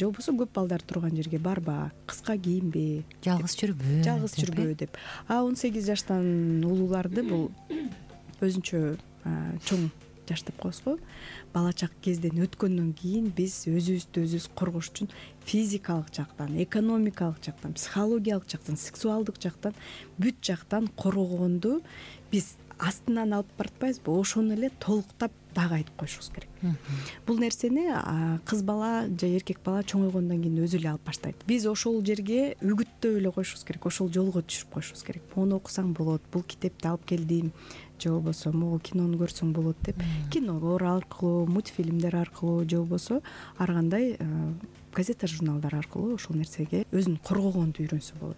болбосо көп балдар турган жерге барба, кыска кийинбе, жалгыз жүрбө деп. 18 жаштан улууларды бул өзүнчө чоң жаш деп коебуз го. Бала чак кезден өткөндөн кийин биз өзүбүздү өзүбүз коргош үчүн физикалык жактан, экономикалык жактан, психологиялык жактан, сексуалдык жактан, бүт жактан коргогонду биз астынан алып баратпайбызбы? Ошону эле толуктап дагы айтып коюшубуз керек. Бул нерсени кыз бала же эркек бала чоңойгондон кийин өзү эле алып баштайт. Биз ошол жерге үгүттөп эле коюшубуз керек, ошол жолго түшүрүп коюшубуз керек. Муну окусаң болот, бул китепти алып келдим, же болбосо могу кинону көрсөң болот деп, кинолор аркылуу, мультфильмдер аркылуу, же болбосо ар кандай газета, журналдар аркылуу ошол нерсеге өзүн коргогонду үйрөнсө болот.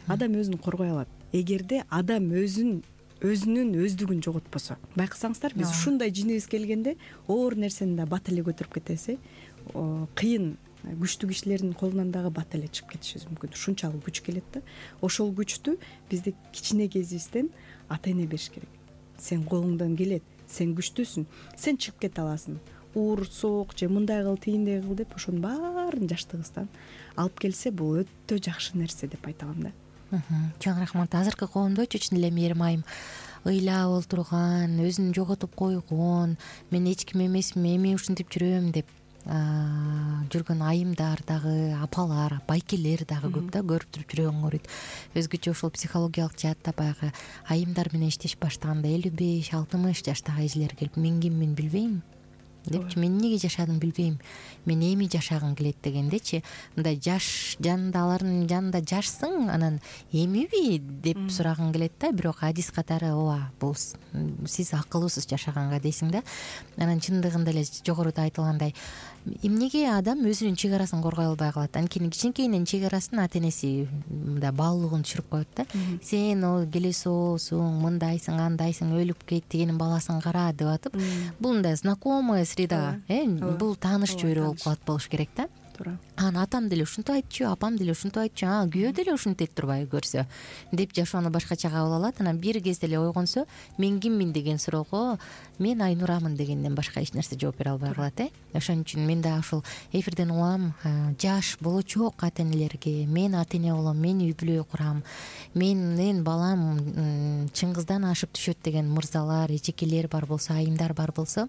Адам өзүн коргой алат. Эгерде адам өзүнүн өздүгүн жоготпосо. Байкасаңыздар, биз ушундай жинибиз келгенде оор нерсени да бат эле көтөрүп кетебиз. Кыйын күчтүү кишилердин колунан дагы бат эле чыгып кетишибиз мүмкүн. Ушунчалык күч келет да. Ошол күчтү бизде кичине кезибизден ата эне бериш керек. Сен колуңдан келет, сен күчтүүсүң, сен чыгып кете аласың. Уур, сок же мындай кыл, тигиндей кыл деп ошонун баарын жаштыгыбыздан алып келсе, бул өтө жакшы нерсе деп айта алам да. Чоң рахмат. Азыркы коомдочу чын эле мээрим айым ыйлап олтурган, өзүн жоготуп койгон, мен эч ким эмесмин, эми ушинтип жүрөм деп жүргөн айымдар дагы, апалар, байкелер дагы көп да, көрүп туруп жүрөгүң ооруйт. Өзгөчө ошол психологиялык жаатта баягы айымдар менен иштешип баштаганда 55-60 жаштагы эжелер келип, мен киммин билбейм. депчи, мен эмнеге жашадым билбейм, мен эми жашагым келет дегендечи, мындай жаш жанында, алардын жанында жашсың, анан эмиби деп сурагың келет да. Бирок адис катары ооба, бул сиз акылуусуз жашаганга дейсиң да. Анан чындыгында эле жогоруда айтылгандай, эмнеге адам өзүнүн чек арасын коргой албай калат? Анткени кичинекейинен чек арасын ата энеси мындай баалуулугун түшүрүп коет да. Сен келесоосуң, мындайсың, андайсың, өлүп кет, дегенин баласын кара деп атып, бул мындай знакомая среда, бул тааныш чөйрө болуп калат болуш керек да. Анан атам деле ушинтип айтчу, апам деле ушинтип айтчу, күйөө деле ушинтет турбайбы көрсө деп жашоону башкача кабыл алат. Анан бир кезде эле ойгонсо, мен киммин деген суроого мен Айнурамын дегенден башка эч нерсе жооп бере албай калат. Ошон үчүн мен да ушул эфирден угам, жаш болочок ата энелерге, мен ата эне болом, мен үй бүлө курам, менин балам Чыңгыздан ашып түшөт деген мырзалар, эжекелер бар болсо, айымдар бар болсо,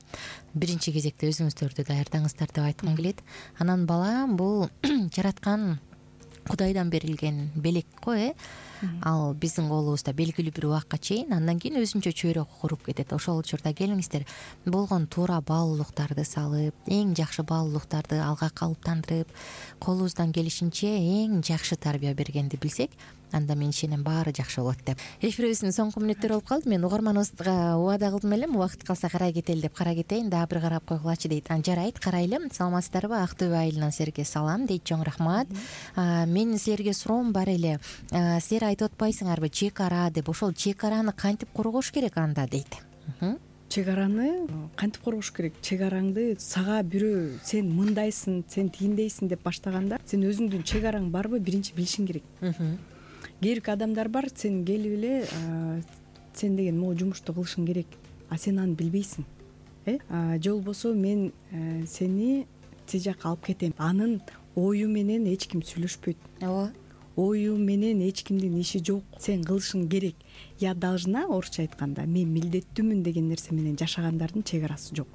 биринчи кезекте өзүңүздөрдү даярдаңыздар деп айткым келет. Анан бала бул жараткан Кудайдан берилген белек го, ал биздин колубузда белгилүү бир убакка чейин, андан кийин өзүнчө чөйрө куруп кетет. Ошол учурда келиңиздер, болгон туура баалуулуктарды салып, эң жакшы баалуулуктарды алга калыптандырып, колубуздан келишинче эң жакшы тарбия бергенди билсек, анда мен ишенем баары жакшы болот деп. Эфирибиздин соңку мүнөттөрү болуп калды. Мен угарманыбызга убада кылдым элем, убакыт калса карай кетели деп карай кетейин, дагы бир карап койгулачы дейт. Жарайт, карайлы. Саламатсыздарбы? Актөбө айылынан силерге салам дейт. Чоң рахмат. Менин силерге суроом бар эле. Силер айтып атпайсыңарбы чек ара деп? Ошол чек араны кантип коргош керек анда дейт. Чек араны кантип коргош керек? Чек араңды сага бирөө сен мындайсың, сен тигиндейсиң деп баштаганда, сен өзүңдүн чек араң барбы биринчи билишиң керек. Кээ бир адамдар бар, сен келип эле сен деген могу жумушту кылышың керек, а сен аны билбейсиң. Же болбосо мен сени тиз жакка алып кетем. Анын ою менен эч ким сүйлөшпөйт. Ооба. Ою менен эч кимдин иши жок. Сен кылышың керек. Я должна, орусча айтканда, мен милдеттүүмүн деген нерсе менен жашагандардын чек арасы жок.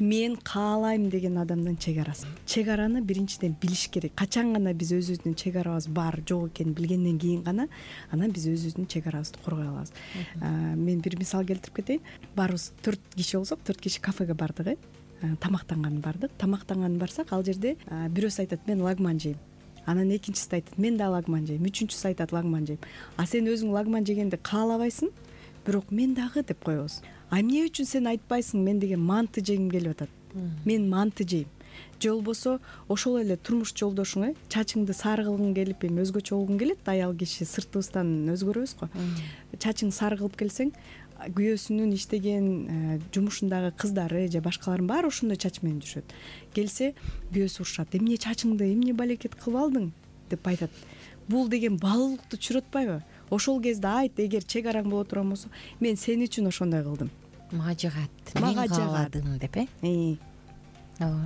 Мен каалайм деген адамдын чек арасы. Чек араны биринчиден билиш керек. Качан гана биз өзүбүздүн чек арабыз бар, жок экенин билгенден кийин гана анан биз өзүбүздүн чек арабызды коргой алабыз. Мен бир мисал келтирип кетейин. Баарыбыз 4 киши болсок, 4 киши кафеге бардык, тамактанган бардык. Тамактанган барсак, ал жерде бирөөсү айтат, мен лагман жейм. Анан экинчиси айтат, мен да лагман жейм. Үчүнчүсү айтат, лагман жейм. А сен өзүң лагман жегенди каалабайсың, бирок мен дагы деп коебуз. Эмне үчүн сен айтпайсың, мен деген манты жегим келип атат. Мен манты жейм. Же болбосо ошол эле турмуш жолдошуң, чачыңды сары кылгың келип, эми өзгөчө болгуң келет, аял киши сыртыбыздан өзгөрөбүз го. Чачың сары кылып келсең, күйөөсүнүн иштеген жумушундагы кыздары же башкалардын баары ошондой чач менен жүрүшөт. Келсе, күйөөсү урушат. Эмне чачыңды, эмне балекет кылып алдың деп айтат. Бул деген баалуулукту түшүрүп атпайбы? Ошол кезде айт, эгер чек араң боло турган болсо, мен сен үчүн ошондой кылдым. Мага жагат, мен кааладым деп,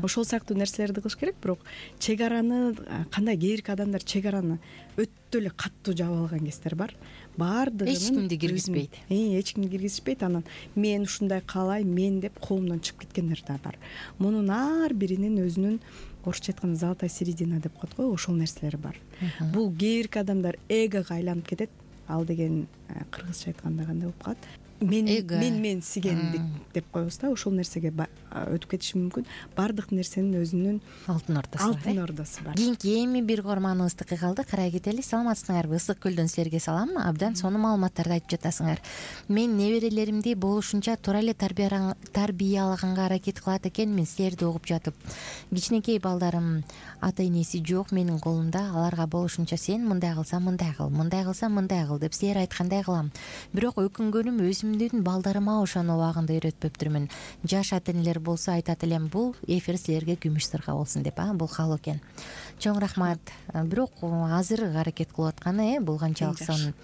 ошол сыяктуу нерселерди кылыш керек. Бирок чек араны кандай, кээ бирки адамдар чек араны өтө эле катуу жаап алган кездер бар. Баардыгын эч кимди киргизбейт. Эч кимди киргизбейт. Анан мен ушундай каалайм, мен деп колумдан чыгып кеткендер да бар. Мунун ар биринин өзүнүн, орусча айтканда, золотая середина деп коет го, ошол нерселер бар. Бул кээ бирки адамдар эгого айланып кетет. Ал деген кыргызча айтканда кандай болуп калат? Мен сигендик деп коебуз да. Ошол нерсеге өтүп кетиши мүмкүн. Баардык нерсенин өзүнүн алтын ордосу бар. Кийинки эми бир угарманыбызды кыйгалды, карай кетели. Саламатсыңарбы? Ысык көлдөн силерге салам. Абдан сонун маалыматтарды айтып жатасыңар. Мен неберелеримди болушунча туура эле тарбиялаганга аракет кылат экенмин, силерди угуп жатып. Кичинекей балдарым ата энеси жок менин колумда, аларга болушунча сен мындай кылсаң мындай кыл, мындай кылсаң мындай кыл деп силер айткандай кылам. Бирок өкүнгөнүм өзүмдүн балдарыма ошону убагында үйрөтпөптүрмүн. Жаш ата энелер болсо айтат элем, бул эфир силерге күмүш сырга болсун деп, бул каалоо экен. Чоң рахмат. Бирок азыр аракет кылып атканы, бул канчалык сонун.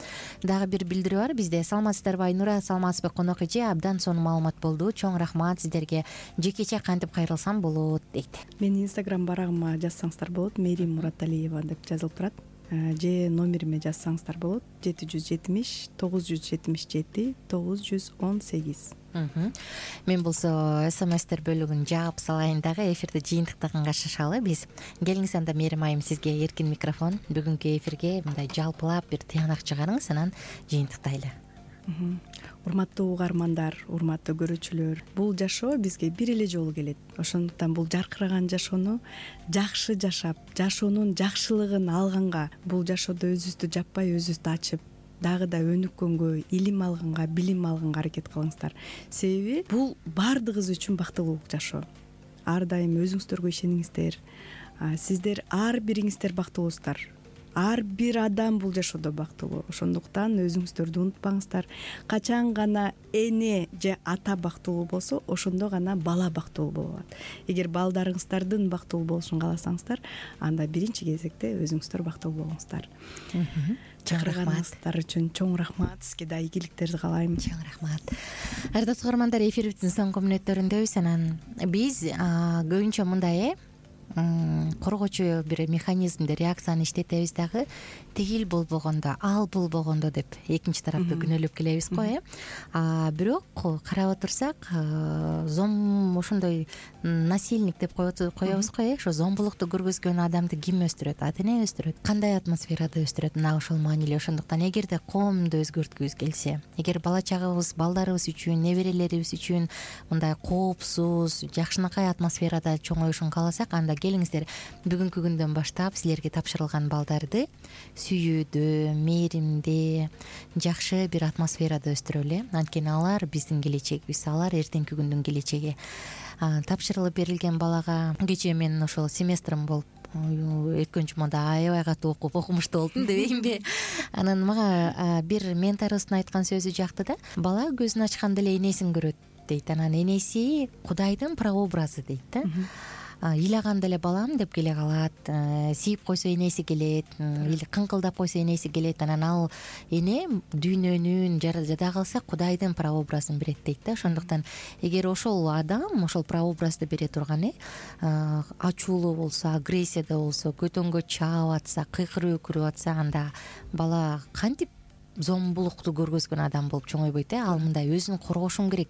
Дагы бир билдирүү бар бизде. Саламатсыздарбы Айнура, саламатсызбы конок эже? Абдан сонун маалымат болду. Чоң рахмат сиздерге. Жекече кантип кайрылсам болот дейт. Менин инстаграм барагыма жазсаңыздар болот. Мерим Мураталиева деп жазылып турат. Же номериме жазсаңыздар болот. 770 977 918. Мен болсо смстер бөлүгүн жаап салайын дагы, эфирде жыйынтыктаганга шашалы биз. Келиңиз анда Мерим айым, сизге эркин микрофон. Бүгүнкү эфирге мындай жалпылап бир тыянак чыгарыңыз, анан жыйынтыктайлы. урматтуу угармандар, урматтуу көрүүчүлөр, бул жашоо бизге бир эле жолу келет. Ошондуктан бул жаркыраган жашоону жакшы жашап, жашоонун жакшылыгын алганга, бул жашоодо өзүбүздү жаппай, өзүбүздү ачып, дагы да өнүккөнгө, илим алганга, билим алганга аракет кылыңыздар. Себеби бул баардыгыбыз үчүн бактылуулук жашоо. Ар дайым өзүңүздөргө ишениңиздер. Сиздер ар бириңиздер бактылуусуздар. Ар бир адам бул жашоодо бактылуу. Ошондуктан өзүңүздөрдү унутпаңыздар. Качан гана эне же ата бактылуу болсо, ошондо гана бала бактылуу боло алат. Эгер балдарыңыздардын бактылуу болушун кааласаңыздар, анда биринчи кезекте өзүңүздөр бактылуу болуңуздар. Чакырганыңыздар үчүн чоң рахмат. Сизге да ийгиликтерди каалайм. Чоң рахмат. Ардактуу угармандар, эфирибиздин соңку мүнөттөрүндөбүз. Анан биз көбүнчө мындай коргоочу бир механизмди, реакцияны иштетебиз дагы, тигил болбогондо, ал болбогондо деп экинчи тарапты күнөөлөп келебиз го. Бирок карап отурсак, ошондой насильник деп коебуз го. Ошо зомбулукту көргөзгөн адамды ким өстүрөт? Ата эне өстүрөт. Кандай атмосферада өстүрөт? Мына ошол маанилүү. Ошондуктан эгерде коомду өзгөрткүбүз келсе, эгер бала чагыбыз, балдарыбыз үчүн, неберелерибиз үчүн мындай коопсуз, жакшынакай атмосферада чоңоюшун кааласак, анда келиңиздер, бүгүнкү күндөн баштап силерге тапшырылган балдарды сүйүүдө, мээримде, жакшы бир атмосферада өстүрөлү. Анткени алар биздин келечегибиз, алар эртеңки күндүн келечеги. Тапшырылып берилген балага кечээ мен ошол семестрим болуп, өткөн жумада аябай катуу окумуштуу болдум дебеймби. Анан мага бир менторубуздун айткан сөзү жакты да. Бала көзүн ачканда эле энесин көрөт дейт. Анан энеси Кудайдын прообразы дейт да. Ыйлаганда эле балам деп келе калат, сийип койсо энеси келет, или кыңкылдап койсо энеси келет. Анан ал эне дүйнөнүн жада калса Кудайдын прообразын берет дейт да. Ошондуктан эгер ошол адам ошол прообразды бере турган ачуулуу болсо, агрессияда болсо, көтөнгө чаап атса, кыйкырып өкүрүп атса, анда бала кантип зомбулукту көргөзгөн адам болуп чоңойбойт. Ал мындай өзүн коргошум керек,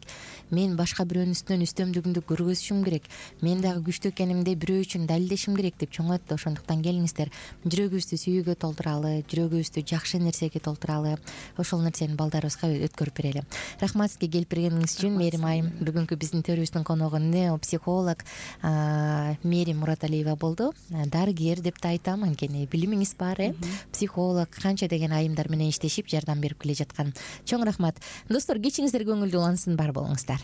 мен башка бирөөнүн үстүнөн үстөмдүгүмдү көргөзүшүм керек, мен дагы күчтүү экенимди бирөө үчүн далилдешим керек деп чоңойт. Ошондуктан келиңиздер, жүрөгүбүздү сүйүүгө толтуралы, жүрөгүбүздү жакшы нерсеге толтуралы, ошол нерсени балдарыбызга өткөрүп берели. Рахмат сизге келип бергениңиз үчүн, Мээрим айым. Бүгүнкү биздин төрүбүздүн коногу неопсихолог Мээрим Мураталиева болду. Дарыгер деп да айтам, анткени билимиңиз бар, психолог, канча деген айымдар менен иштешип жардам берип келе жаткан. Чоң рахмат. Достор, кечиңиздер көңүлдүү улансын, бар болуңуздар.